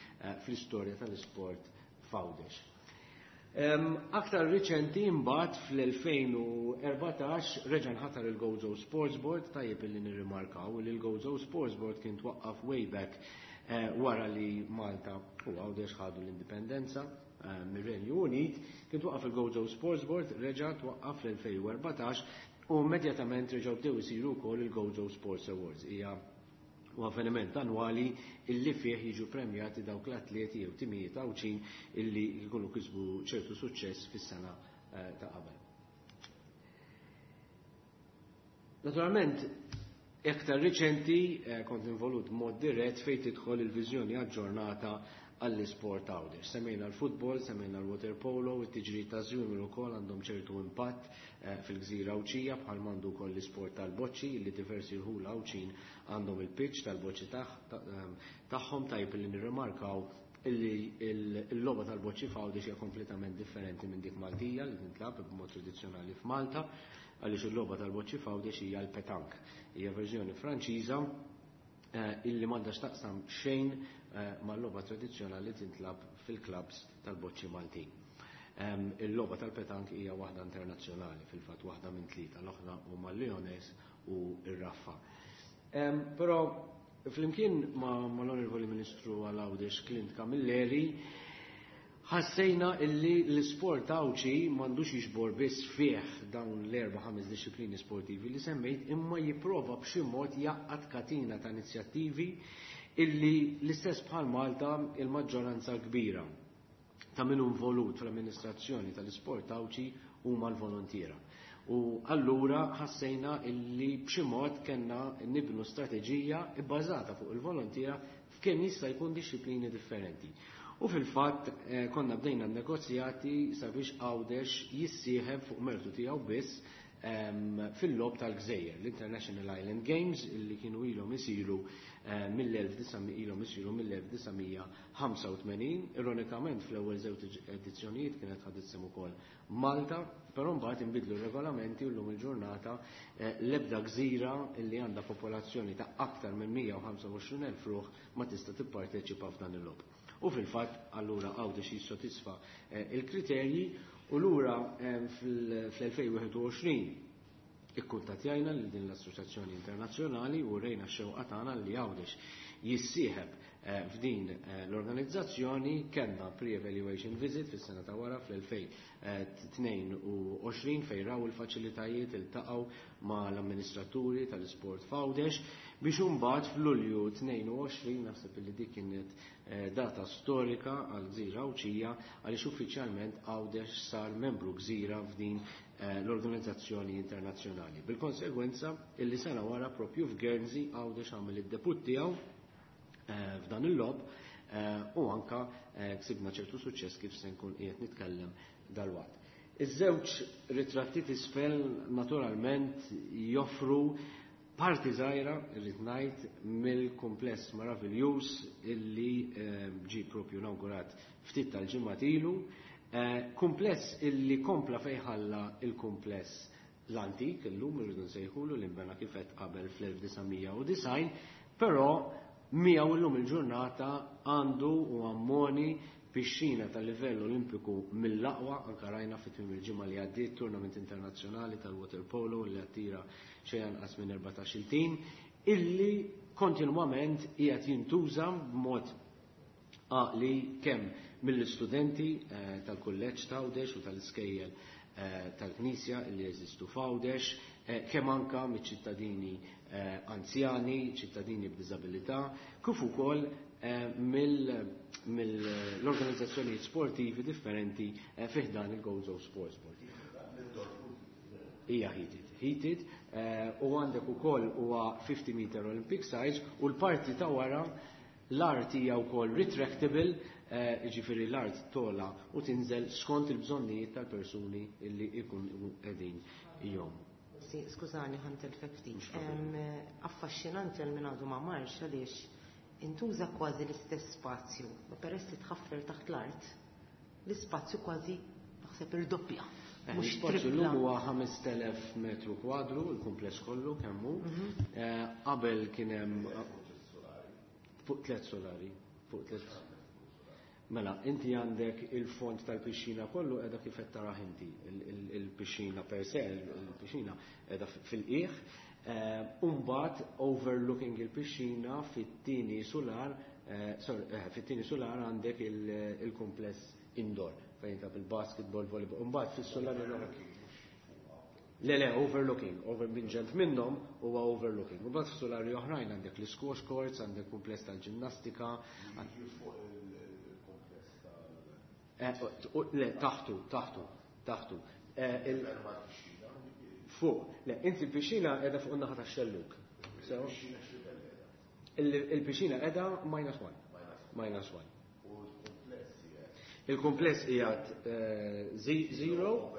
fl-istorja tal-isport f'Għawdex. Aktar riċenti imbagħad fl-elfejn u erbatax reġa' nħatar il-Gozo Sports Board. Tajjeb illi nirrimarkaw li l-Gozo Sports Board kien twaqqaf way back wara li Malta u Għawdex ħadu l-indipendenza mir-Renju Unit. Kien twaqqaf il-Gozo Sports Board, reġa' twaqqaf fl-elfejn u erbatax u immedjatament reġgħu bdew isiru wkoll il-Gozo Sports Awards. Hija u avveniment annwali illi fih jiġu premjati dawk l-atleti jew timijiet Għawdxin illi jkunu kisbu ċertu suċċess fis-sena ta' qabel. Naturalment, iktar riċenti kont involut b'mod dirett fejn tidħol il-viżjoni aġġornata għall-isport Għawdex. Semmejna l-futbol, semmejna l-water polo, it-tiġri ta' żwiemel ukoll għandhom ċertu impatt fil-gżira Għawdxija, bħal m'għandu wkoll l-isport tal-boċċi li diversi rħula Għawdxin għandhom il-pitch tal-boċċi tagħhom. Tajjeb li nirrimarkaw illi l-logħba tal-boċċi f'Għawdex hija kompletament differenti minn dik Maltija li tintlab b'mod tradizzjonali f'Malta, għaliex il-logħba tal-boċċi f'Għawdex hija l-petank, hija verżjoni Franċiża illi m'għandha x'taqsam xejn mal-logħba tradizzjonali tintlab fil-klabs tal-boċċi Maltin. Il-logħba tal-petank hija waħda internazzjonali, fil-fatt waħda minn tlieta, l-oħra huma l-Lyonnais u r-Raffa. Però flimkien ma' l-Onorevoli Ministru għal Għawdex Clint Camilleri ħassejna illi l-isport Għawdxi m'għandux jiġbor biss fih dawn l-erba' ħames disċiplini sportivi li semmejt, imma jipprova b'xi mod jaqgħad katina ta' inizjattivi illi l-istess bħal Malta il-maġġoranza kbira ta' min hu involut fl-amministrazzjoni tal-isport Għawdxi huma l-volontiera. U allura ħassejna illi b'xi mod kellna nibnu strateġija bbażata fuq il-volontiera f'kemm jista' jkun disċiplini differenti. U fil-fatt konna bdejna negozjati sabiex Għawdex jissieħeb fuq mertu tiegħu biss fil-lob tal-Gżejjer, l-International Island Games, illi kienu ilhom isiru mill-elf disa' ilhom isiru mill-elf disa' mija ħamsa u tmenin. Ironikament fl-ewwel żewġ edizzjonijiet kienet ħadet sehem ukoll Malta, però mbagħad inbidlu r-regolamenti u llum il-ġurnata l-ebda gżira illi għandha popolazzjoni ta' aktar minn mija u ħamsa u għoxrin elf ruħ ma tista' tipparteċipa f'dan il-logħob. U fil-fatt allura Għawdex jissodisfa il-kriterji u lura fl-elfejn wieħed u għoxrin ikkuntattjajna lil din l-Assoċjazzjoni Internazzjonali u rejna x-xewqa tagħna li Għawdex jissieħeb f'din l-organizzazzjoni. Kellna pre-evaluation visit fis-sena ta' wara fl-elfejn tnejn u għoxrin fejn raw il-faċilitajiet, iltaqgħu ma' l-amministraturi tal-isport f'Għawdex biex imbagħad f'Lulju tnejn u għoxrin, naħseb li dik kienet data storika għal gżira Għawdxija għaliex uffiċjalment Għawdex sar membru gżira f'din l-organizzazzjoni internazzjonali. Bil-konsegwenza illi sena wara propju f'Guernsey Għawdex għamel id-debut tiegħu f'dan il-lob u anka ksibna ċertu suċċess kif se nkun qiegħed nitkellem dalwaqt. Iż-żewġ ritratti t'isfel naturalment joffru parti żgħira, irrid ngħid, mill-kumpless meraviljuż illi ġie propju inawgurat ftit tal-ġimgħat ilu, kumpless illi kompla fejn ħalla il-kumpless l-antik, illum irridu nsejħulu li nbena kif qed qabel fl-elf disa' mija u disgħin, però miegħu illum il-ġurnata għandu u ammoni pixxina tal-livell olimpiku mill-aqwa, anka rajna fi tmiem il-ġimgħa li għaddiet tournament internazzjonali tal-water polo li attira xejn anqas minn erbatax-il tim, illi kontinwament qiegħed jintuża b'mod għaqli kemm mill-istudenti tal-kulleġġ ta' Għawdex u tal-iskejjel tal-Knisja li jeżistu f'Għawdex, kemm anka miċ-ċittadini anzjani, ċittadini b'diżabilità, kif ukoll mill-organizzazzjonijiet sportivi differenti fi ħdan il-Gozo Sports Board. Hija heated, heated, u għandek ukoll huwa fifty meter Olympic size u l-parti ta' wara l-art hija wkoll retractable, jiġifieri l-art tola u tinżel skont il-bżonnijiet tal-persuni illi ikunu qegħdin jom. Skużani, ħantelfek ftit. Affaxxinanti għal min għadu ma marx għaliex intuża kważi l-istess spazju, ma peress li tħaffer taħt l-art, l-ispazju kważi naħseb irdoppja. Mhux L-ispazju tripla. llum huwa ħamest elef metru kwadru, il-kumpless kollu kemm hu. Qabel kien hemm fuq tliet solari, fuq tliet. Mela, inti għandek il-fond tal-pixxina kollu qiegħda kif qed taraħ inti, il-pixxina per se, il-pixxina qiegħda fil-qiegħ, u mbagħad overlooking il-pixxina fit-tieni solar, sorry, fit-tieni solar għandek il-kumpless indoor fejn ta' il-basketball, volleyball, u mbagħad fis-solar Le, le, overlooking, over minn ġenb minnhom huwa overlooking. U mbagħad f'solari oħrajn għandek l-squash courts, għandek kumpless tal-ġinnastika. Le, taħtu, taħtu, taħtu. Fuq, le, inti l-pixxina qiegħda fuq in-naħa tax-xelluk. Il-pixxina qiegħda minus one. Minus one. Il-kumpless qiegħed zero,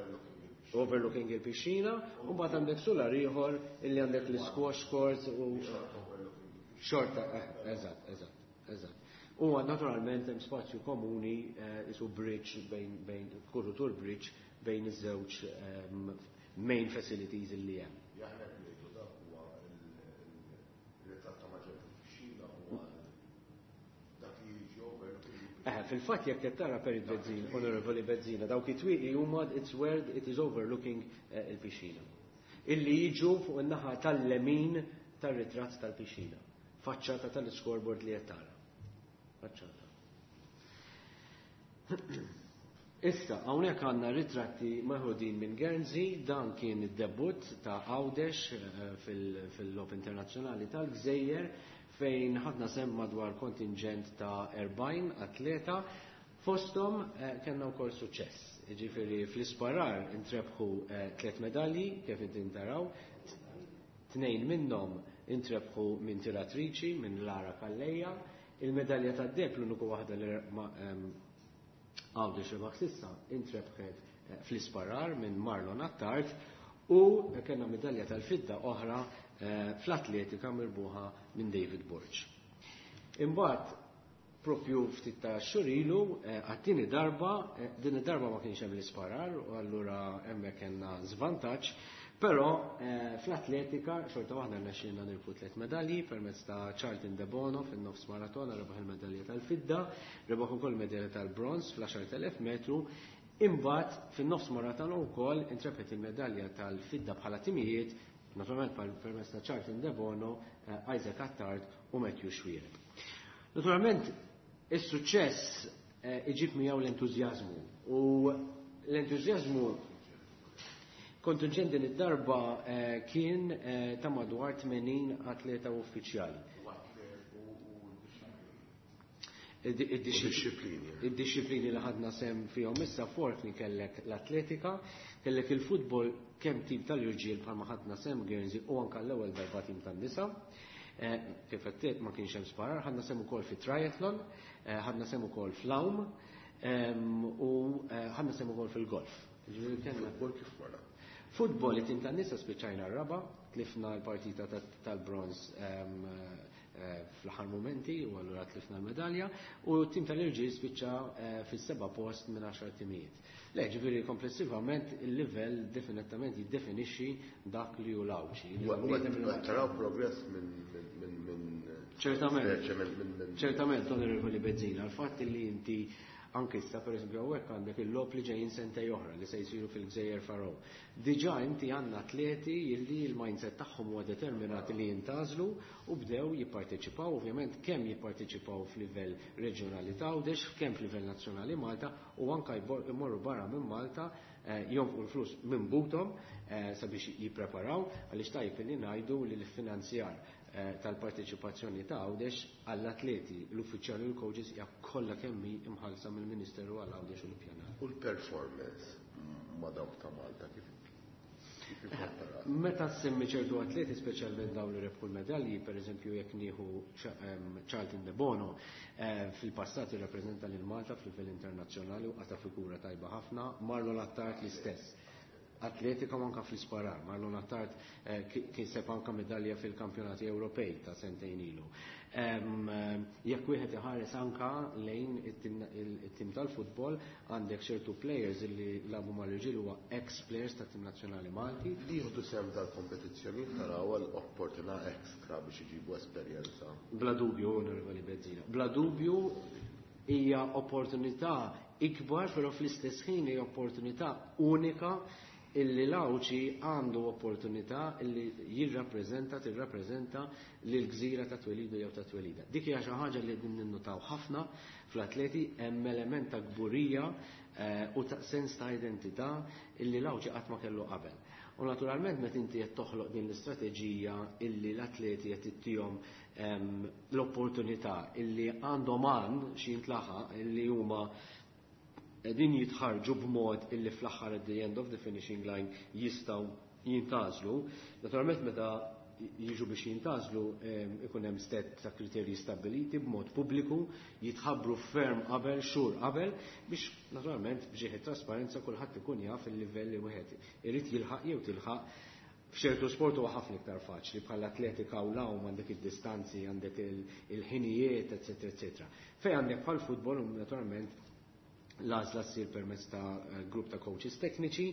overlooking il-pixxina, u mbagħad għandek solar ieħor illi għandek l-squash courts u xorta, eżatt, eżatt, eżatt. U naturalment hemm spazju komuni, isu bridge bejn bejn kurutur bridge bejn iż-żewġ main facilities illi hemm. Jaħna qed ngħidu dak huwa il-ritratt ta' maġenb il-pixxina huwa dak li jiġi overlooking. Eh, fil-fatt jekk qed tara Perit Bezzina, Onorevoli Bezzina, dawk it-twieqi huma it's where it is overlooking il-pixxina. Illi jiġu fuq in-naħa tal-lemin tar-ritratt tal-pixxina. Faċċata tal-scoreboard li qed tara. Faċċata. Issa, hawnhekk għandna ritratti meħudin minn Guernsey, dan kien id-debut ta' Għawdex fil-Logħob Internazzjonali tal-Gżejjer, fejn ħadna sem madwar kontingent ta' erbgħin atleta, fosthom kellna wkoll suċċess. Jiġifieri fl-isparar intrebħu tliet medalji, kif inti taraw, tnejn minnhom intrebħu minn tiratriċi, minn Lara Calleja, il-medalja tad-deheb l-uniku waħda li Għawdex rebaħ s'issa intrebħet fl-isparar minn Marlon Attard, u kellna medalja tal-fidda oħra fl-atletika mirbuħa minn David Borg. Imbagħad propju ftit ta' xhur ilu għat-tieni darba, din id-darba ma kienx hemm l-isparar u allura hemmhekk kellna żvantaġġ, però fl-atletika xorta waħda rnexxielna nirbu tliet medalji permezz ta' Charlton De Bono fin-nofs maratona rebaħ il-medalja tal-fidda, rebaħ ukoll medalja tal-bronz fl-għaxar elef metru. Imbagħad fin-nofs maratona wkoll intrebħet il-medalja tal-fidda bħala timijiet, naturalment permezz ta' Charlton De Bono, Isaac Attard u Matthew Xuereb. Naturalment, is-suċċess iġib miegħu l-entużjażmu u l-entużjażmu kontingent din id-darba kien ta' madwar tmenin atleta uffiċjali. Id-disciplini. Id-disciplini li ħadna sem fihom issa fortni kellek l-atletika, kellek il-futbol kemm tim tal-irġiel bħalma ħadna sem Guernsey u anke l-ewwel darba tim tan-nisa. Kif qed ma kienx hemm sparar, ħadna sem ukoll fi triathlon, ħadna sem ukoll fl-għawm, u ħadna sem ukoll fil-golf. Ġifieri kellna Futbol kif wara? Futbol it-tim tan-nisa spiċċajna r-raba, tlifna l-partita tal-bronz fl-aħħar momenti u allura tlifna l-medalja, u t-tim tal-irġiel spiċċa fis-seba' post minn għaxar timijiet. Le, ġifieri komplessivament il-livell definitament jiddefinixxi dak li hu l-Għawdxi. U taraw progress minn minn minn Ċertament. minn Ċertament, Onorevoli Bezzina, l-fatt li inti Anke issa pereżempju hawnhekk għandek il-logħob li ġejjin sentej oħra li se jsiru fil-Gżejjer Faroe. Diġà inti għandna atleti illi l-mindset tagħhom huwa determinat li jintgħażlu u bdew jipparteċipaw, ovvjament kemm jipparteċipaw f'livell reġjonali ta' Għawdex, kemm f'livell nazzjonali Malta u anke jmorru barra minn Malta jonfqu l-flus minn buthom sabiex jippreparaw, għaliex tajjeb li ngħidu li l-finanzjar tal-parteċipazzjoni ta' Għawdex għall-atleti, l-uffiċjali u l-coaches hija kollha kemm hi imħallsa mill-Ministeru għal Għawdex u l-Ippjanar. U l-performance ma' dawk ta' Malta kif ikkomparat? Meta ssemmi ċertu atleti, speċjalment dawn li rebħu l-medalji, pereżempju jekk nieħu Charlton De Bono, fil-passat irrappreżenta lil Malta f'livell internazzjonali u qata' figura tajba ħafna, Marlon Attard l-istess. Atletika u anka fl-isparar. Marlon Attard kiseb anka medalja fil-kampjonati Ewropej ta' sentejn ilu. Jekk wieħed iħares anka lejn it-tim tal-futbol, għandek ċertu players li labu mal-irġiel huwa ex-players tat-tim nazzjonali Malti. Li jieħdu sehem dal-kompetizzjonijiet taraw għal opportunità extra biex iġibu esperjenza. Bla dubju, Onorevoli Bezzina. Bla dubju hija opportunità ikbar, però fl-istess ħin hija opportunità unika illi l-Għawdxi għandu opportunità illi jirrappreżenta, tirrappreżenta lil gżira ta' twelidu jew ta' twelida. Dik hija xi ħaġa li qegħdin ninnutaw ħafna fl-atleti, hemm element ta' kburija u ta' sens ta' identità illi l-Għawdxi qatt ma kellu qabel. U naturalment meta inti qed toħloq din l-istrateġija illi l-atleti qed ittihom l-opportunità illi għandhom għan xi jintlaħaq illi huma din jitħarġu b'mod illi fl-aħħar at the end of the finishing line jistgħu jintgħażlu. Naturalment meta jiġu biex jintgħażlu ikun hemm set ta' kriterji stabbiliti b'mod pubbliku, jitħabbru ferm qabel, xhur qabel, biex naturalment b'ġieħ trasparenza kulħadd ikun jaf il-livell li wieħed irid jilħaq jew tilħaq. F'ċertu sport huwa ħafna iktar faċli, bħal atletika u l-għawm għandek id-distanzi, għandek il-ħinijiet, eċetera, eċetera. Fejn għandek bħal futbol naturalment l-għażla ssir permezz ta' grupp ta' coaches tekniċi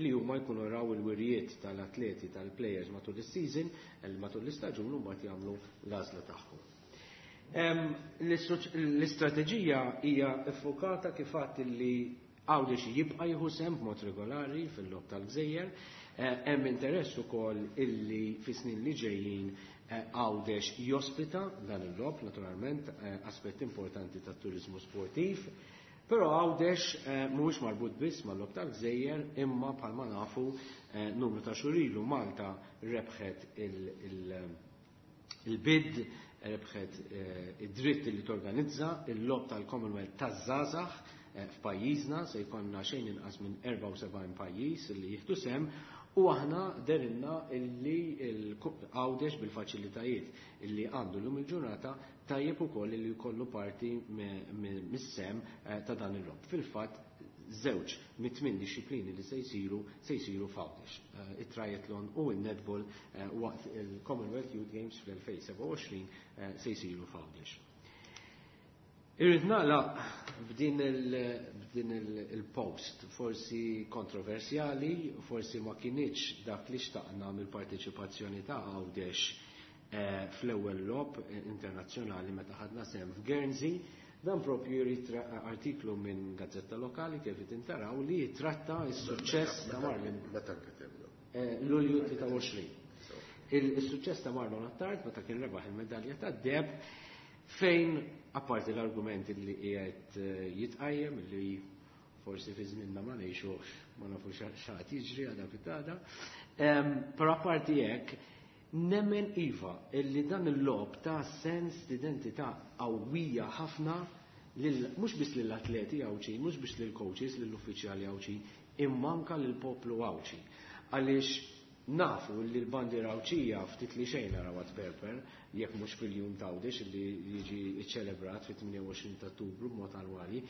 li huma jkunu raw il-wirjiet tal-atleti tal-players matul is-season, matul l-istaġun, u mbagħad jagħmlu l-għażla tagħhom. L-istrateġija hija ffokata kif għadt li Għawdex jibqa' jieħu sehem b'mod regolari fil-logħob tal-Gżejjer, hemm interess ukoll illi fis-snin li ġejjin Għawdex jospita dan il-logħob, naturalment aspett importanti tat-turiżmu sportiv. Però Għawdex mhuwiex marbut biss mal-logħob tal-Gżejjer, imma bħalma nafu numru ta' xhur ilu Malta rebħet il-bid, rebħet id-dritt li torganizza il-logħob tal-Commonwealth taż-żgħażagħ f'pajjiżna, se jkollna xejn inqas minn erbgħa u sebgħin pajjiż li jieħdu sehem, u aħna derinna illi Għawdex bil-faċilitajiet illi għandu llum il-ġurnata tajjeb ukoll li jkollu parti mis-sem ta' dan il-logħob. Fil-fatt żewġ mit-tmien disċiplini li se jsiru se jsiru f'Għawdex, it-triathlon u n-netball waqt il-Commonwealth Youth Games fl-elfejn sebgħa u għoxrin se jsiru f'Għawdex. Irrid nagħlaq b'din b'din il-post, forsi kontroversjali, forsi ma kinitx dak li xtaqna mill-parteċipazzjoni ta' Għawdex fl-ewwel logħob internazzjonali meta ħadna sehem f'Guernsey. Dan propju jrid artiklu minn gazzetta lokali kif intaraw li jitratta s-suċċess ta' Marlon. Meta nkitiblu? Lulju tlieta u għoxrin. Il-suċċess ta' Marlon Attard meta kien rebaħ il-medalja tad-deheb, fejn apparti l-argument li qiegħed jitqajjem li forsi fi żmienna ma ngħixux, ma nafux x'għad jiġri għadha fit-għada, però apparti hekk nemmen iva illi dan il-logħob ta' sens d'identità qawwija ħafna mhux biss lill-atleti Għawdxin, mhux biss lill-coaches, lill-uffiċjali Għawdxin, imma anke lill-poplu Għawdxi. Għaliex nafu li l-bandiera Għawdxija ftit li xejn narawha tperper, jekk mhux fil-jum ta' Għawdex li jiġi ċċelebrat fit-tmienja u għoxrin ta' Ottubru b'mod annwali,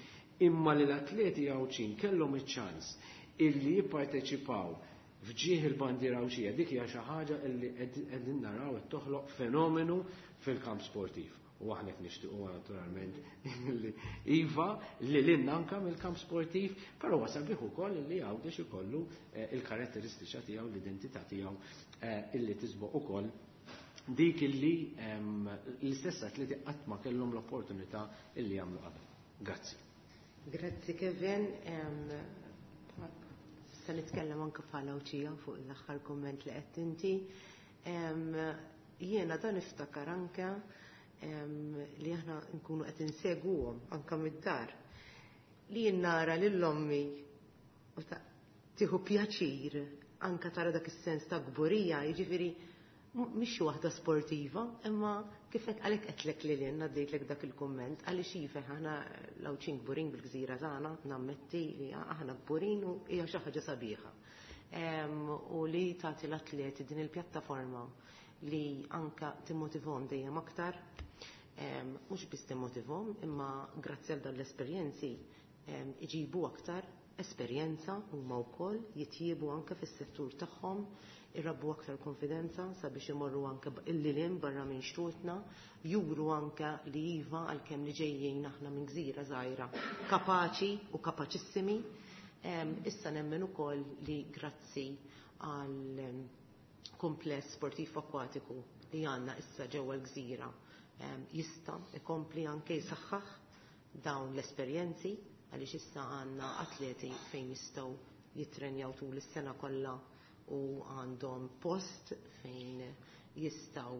imma li l-atleti Għawdxin kellhom iċ-ċans illi jipparteċipaw f'ġieħ il-bandiera Għawdxija, dik hija xi ħaġa li qegħdin naraw qed toħloq fenomenu fil-kamp sportiv. U aħna qed nixtiequ naturalment li iva li lilna anke mill-kamp sportiv, però huwa sabiħ ukoll li Għawdex ikollu il-karatteristiċa tiegħu, l-identità tiegħu illi tisboq ukoll dik illi l-istess atleti qatt ma kellhom l-opportunità illi jagħmlu qabel. Grazzi. Grazzi, Kevin. Se nitkellem anke bħala Għawdxija fuq l-aħħar komment li qed inti. Jiena dan niftakar anke li aħna nkunu qed inseguhom anke mid-dar. Li jien nara lil ommi u tieħu pjaċir anke tara dak is-sens ta' kburija, jiġifieri mhix waħda sportiva, imma kif qed għalhekk qedlek lil jien għaddejtlek dak il-kumment, għaliex iva aħna l-Għawdxin kburin bil-gżira tagħna, nammetti li aħna kburin u hija xi ħaġa sabiħa. U li tagħti l-atleti din il-pjattaforma li anka timmotivhom dejjem aktar, mhux biss timmotivhom, imma grazzi għal dan l-esperjenzi iġibu aktar esperjenza huma wkoll jitjiebu anke fis-settur tagħhom, irabbu aktar konfidenza sabiex imorru anke il-lilin barra minn xtutna, juru anke li iva għalkemm li ġejjin aħna minn gżira żgħira kapaċi u kapaċissimi. Issa nemmen ukoll li grazzi għal kumpless sportiv akkwatiku li għandna issa ġewwa l-gżira jista' ikompli anke jsaħħaħ dawn l-esperjenzi, għaliex issa għandna atleti fejn jistgħu jittrenjaw tul is-sena kollha u għandhom post fejn jistgħu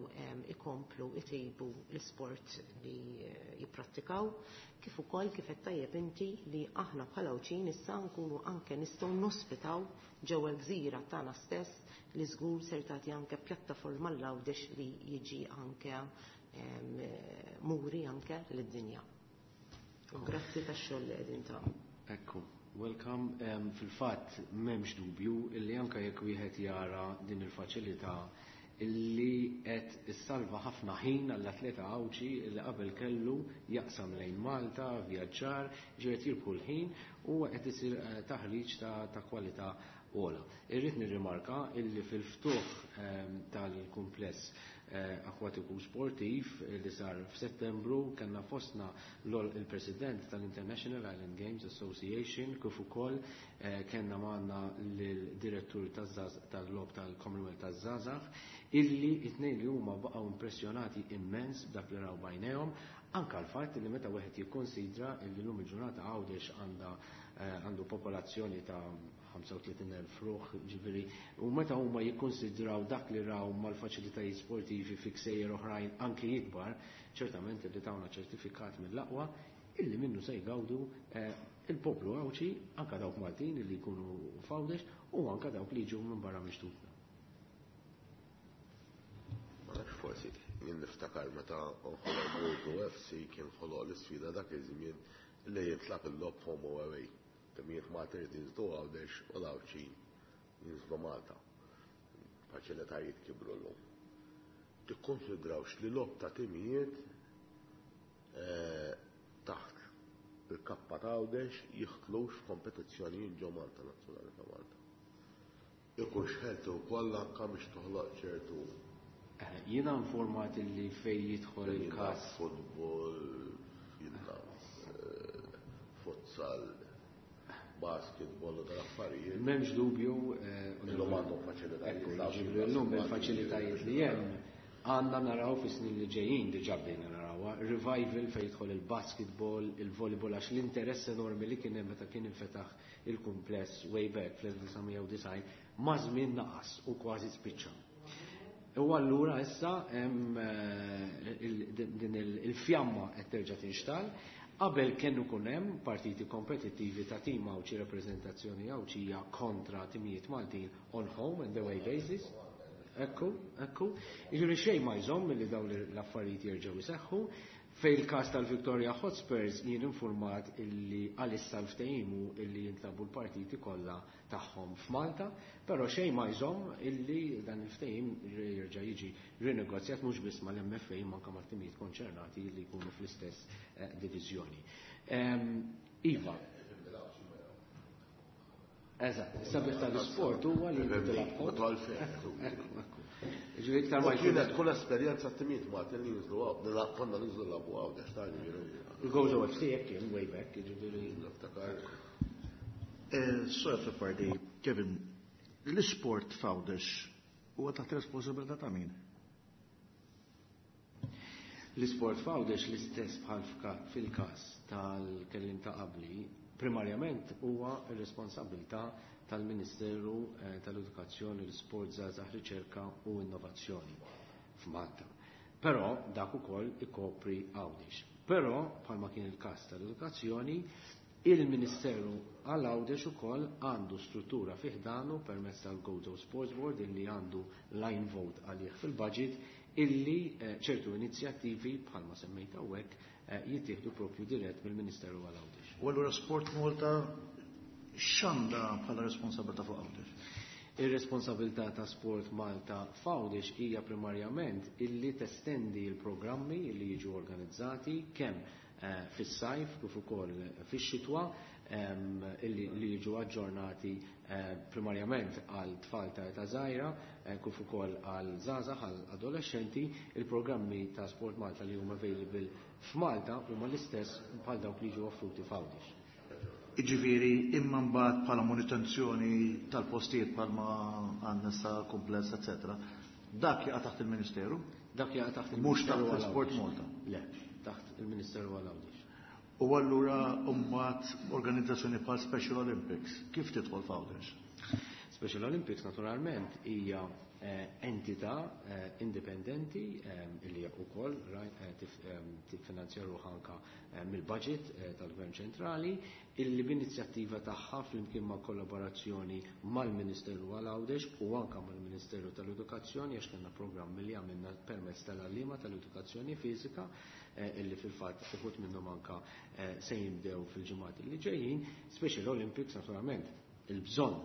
ikomplu itejbu l-sport li jipprattikaw, kif ukoll kif qed tajjeb inti li aħna bħala Għawdxin issa nkunu anke nistgħu nospitaw ġewwa l-gżira tagħna stess, li żgur ser tagħti anke pjattaforma l-Għawdex li jiġi anke muri anke lid-dinja. Grazzi tax-xogħol li qegħdin tagħmlu. Ekku, welcome. Um, Fil-fatt m'hemmx dubju illi anke jekk wieħed jara din il-faċilità illi qed issalva ħafna ħin għall-atleta Għawdxi illi qabel kellu jaqsam lejn Malta, vjaġġar, ġiet jirbħu l-ħin u qed isir taħriġ ta', ta' kwalità ogħla. Irrid nirrimarka illi fil-ftuħ um, tal-kumpless akkwatiku sportiv li sar f'Settembru kellna fostna il-President tal-International Island Games Association, kif ukoll kellna magħna l-direttur tal-logħob tal-Commonwealth taż-Żgħażagħ, illi it-tnejn li huma baqgħu impressjonati immens b'dak li raw bajnejhom, anke l-fatt li meta wieħed jikkonsidra li llum il-ġurnata Għawdex għandha għandu popolazzjoni ta' ħamsa u tletin elf ruħ, ġifieri, u meta huma jikkonsidraw dak li raw mal-faċilitajiet sportivi fi ksejjer oħrajn anke jikbar, ċertament li tawna ċertifikat mill-aqwa illi minnu se jgawdu il-poplu Għawdxi, anke dawk Maltin illi jkunu f'Għawdex u anke dawk li jiġu minn barra mixtutna. Ma nafx, forsi jien niftakar meta nħoloq Gozo F C kien ħoloq l-isfida dak iż-żmien li jitlaq il-logħob home away. Timijiet Malta jinżlu Għawdex u l-Għawdxin jinżlu Malta. Faċilitajiet kibru llum. Tikkonsidrawx li logħob ta' timijiet taħt il-kappa ta' Għawdex jidħlux f'kompetizzjonijiet ġo Malta, nazzjonali ta' Malta. Ikun xħeltu wkoll anke biex toħloq ċertu. Jiena informat li fej jidħol il-każ futbol, jiena futsal, basketball u tal-affarijiet. M'hemmx dubju, illum għandhom faċilitajiet. Ekku, llum il-faċilitajiet li hemm għandna naraw fis-snin li ġejjin, diġà bdejna narawha, revival fejn jidħol il-basketball, il-volleyball, għax l-interess enormi li kien hemm meta kien infetaħ il-kumpless way back fl-elf disa' mija u disgħin ma' żmien naqas u kważi spiċċa. U allura issa hemm din il-fjamma qed terġa' tinxtall. Qabel kienu kun hemm partiti kompetittivi ta' tim Għawdxi, rappreżentazzjoni Għawdxija kontra timijiet Maltin on home and away basis. Ekku, ekku. Jiġifieri xejn ma jżomm milli dawn l-affarijiet jerġgħu jseħħu. Fej il-każ tal-Victoria Hotspurs jien informat illi għalissa l-ftehim hu illi jintlabu l-partiti kollha tagħhom f'Malta, però xejn ma jżomm illi dan il-ftehim jerġa' jiġi rinegozjat mhux biss mal-M F A imma anke mat-timijiet konċernati li jkunu fl-istess diviżjoni. Iva. Eżatt, is-sabiħ tal-isport huwa li tilab. Ekku, ekku. Ġifieri iktar ma Kienet tkun esperjenza t-timijiet Maltin li jinżlu għaw, konna ninżlu labu għaw, għax ta' ġifieri. Il-Gozo F C hekk kien way back, ġifieri. Niftakar. Sir Azzopardi, Kevin, l-isport f'Għawdex huwa taħt responsabilità ta' min? L-isport f'Għawdex l-istess bħal fil-każ tal-kellim ta' qabli, primarjament huwa r-responsabilità tal-Ministeru tal-Edukazzjoni, l-Isport, Żgħażagħ, Riċerka u Innovazzjoni f'Malta. Però dak ukoll ikopri Għawdex. Però bħalma kien il-każ tal-edukazzjoni, il-Ministeru għal Għawdex ukoll għandu struttura fi ħdanu permezz tal-Gozo Sports Board illi għandu line vote għalih fil-budget illi ċertu inizjattivi bħalma semmejt hawnhekk jittieħdu propju dirett mill-Ministeru għal Għawdex. U allura Sport Malta x'għandha bħala responsabilità fuq Għawdex? Ir-responsabilità ta' Sport Malta f'Għawdex hija primarjament illi testendi l-programmi li jiġu organizzati kemm fis-sajf kif ukoll fix-xitwa illi li jiġu aġġornati primarjament għal tfal ta' età żgħira kif ukoll għal żgħażagħ għal adolescenti. Il-programmi ta' Sport Malta li huma available f'Malta huma l-istess bħal dawk li jiġu offruti f'Għawdex. Jiġifieri imma mbagħad bħala manutenzjoni tal-postijiet bħalma għandna sa kumpless, eċetera. Dak jaqa' taħt il-Ministeru? Dak jaqa' taħt Mhux il-Ministeru taħt għal Sport Għawdex. Malta. Le, taħt il-Ministeru għal Għawdex. U allura mbagħad organizzazzjoni bħal Special Olympics, kif tidħol f'Għawdex? Special Olympics naturalment hija entità indipendenti li wkoll tiffinanzja ruħha anka mill-budget tal-Gvern Ċentrali, illi b'inizjattiva tagħha flimkien ma' kollaborazzjoni mal-Ministeru għal Għawdex u anka mal-Ministeru tal-Edukazzjoni, għax kellna programmi li għamilna permezz tal-għalliema tal-edukazzjoni fiżika illi fil-fatt uħud minnhom anka se jibdew fil-ġimgħat li ġejjin. Special Olympics naturalment il-bżonn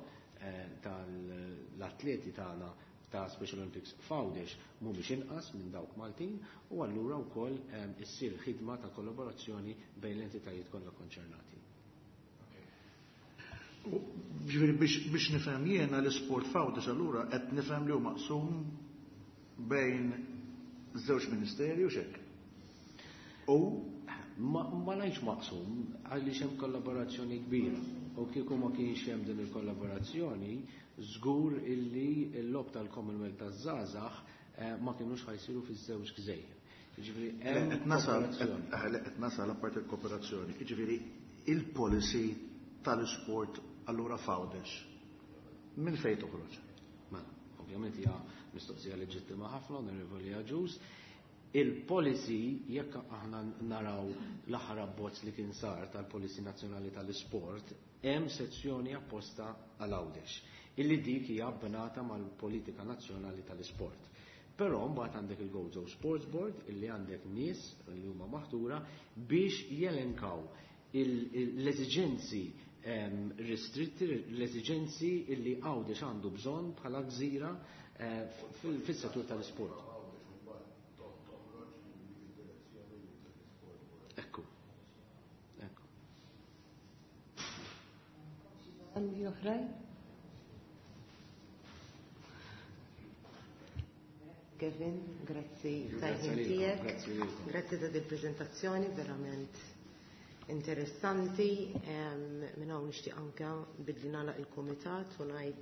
tal-atleti tagħna ta' Special Olympics f'Għawdex mhumiex inqas minn dawk Maltin, u allura wkoll issir ħidma ta' kollaborazzjoni bejn l-entitajiet kollha konċernati. Ġifieri biex, biex nifhem jiena l-isport f'Għawdex allura qed nifhem li hu maqsum bejn żewġ ministeri u x'hekk. U ma, ma ngħidx maqsum għaliex hemm kollaborazzjoni kbira. U kieku ma kienx hemm din il-kollaborazzjoni, żgur illi l-lob tal-Commonwealth taż-żgħażagħ ma kinux ħajsiru fiż-żewġ gżejjer. Jiġifieri hemm Qed nasal, kooperazzjoni. qed, qed nasal apparti l-kooperazzjoni. Jiġifieri il-policy tal-isport allura f'Għawdex minn fejn toħroġ? Mela, ovvjament hija mistoqsija leġittima ħafna, Onorevoli Agius. Il-policy, jekk aħna naraw l-aħħar abbozz li kien sar tal-Policy Nazzjonali tal-Isport, hemm sezzjoni apposta għal Għawdex, illi dik hija abbinata mal-Politika Nazzjonali tal-Isport. Però mbagħad għandek il-Gozo Sports Board illi għandek nies li huma maħtura biex jelenkaw l-eżiġenzi ristritti, l-eżiġenzi illi Għawdex għandu bżonn bħala gżira fis-settur tal-isport. Ekku. Ekku. Għandi oħrajn? Kevin, grazzi Grazzi tal-ħin lilkom, tiegħek. grazzi lilkom. Grazzi ta' dil-preżentazzjoni verament interessanti. Minn hawn nixtieq anke billi nagħlaq il-kumitat u ngħid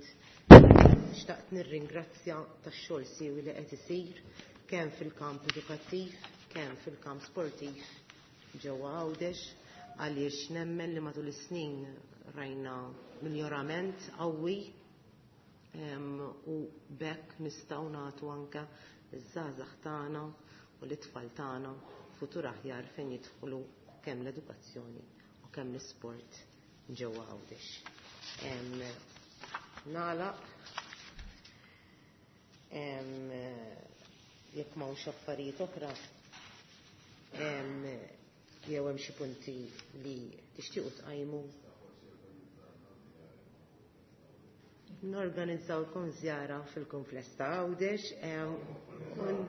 xtaqt nirringrazzja tax-xogħol siewi li qed isir kemm fil-kamp edukattiv, kemm fil-kamp sportiv ġewwa Għawdex, għaliex nemmen li matul is-snin rajna miljorament qawwi u bekk nistgħu nagħtu anke iż-żgħażagħ tagħna u l-itfal tagħna futur aħjar fejn jidħlu kemm l-edukazzjoni u kemm l-isport ġewwa Għawdex. Nagħlaq jekk m'hawnx affarijiet oħra, jew hemm xi punti li tixtiequ tqajmu. Norganizzawlkom żjara fil-kumpless ta' Għawdex, un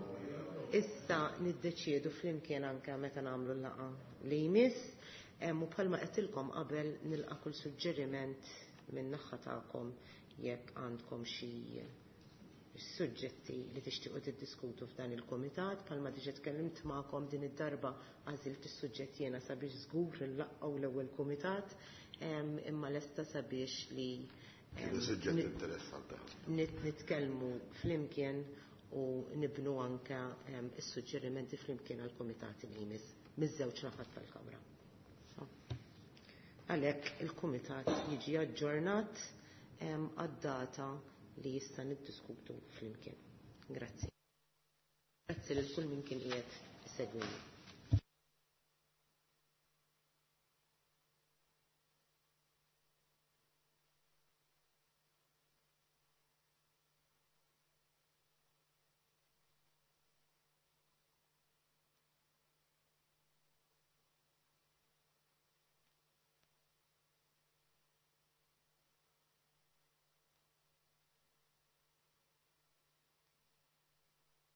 issa niddeċiedu flimkien anke meta nagħmlu l-laqgħa li jmiss, u bħalma qedtilkom qabel nilqa' kull suġġeriment minn naħa tagħkom jekk għandkom xi suġġetti li tixtiequ tiddiskutu f'dan il-kumitat. Bħalma diġà tkellimt magħkom din id-darba għażilt is-suġġett jiena sabiex żgur nlaqgħu l-ewwel kumitat, imma lesta sabiex li Kienu suġġett interessanti ħafna. nitkellmu flimkien u nibnu anke is-suġġerimenti flimkien għall-kumitati li jmiss miż-żewġ naħat tal-Kamra. Għalhekk il-kumitat jiġi aġġornat għad-data li jista' niddiskutu flimkien. Grazzi. Grazzi lil kull min kien qiegħed isegwini.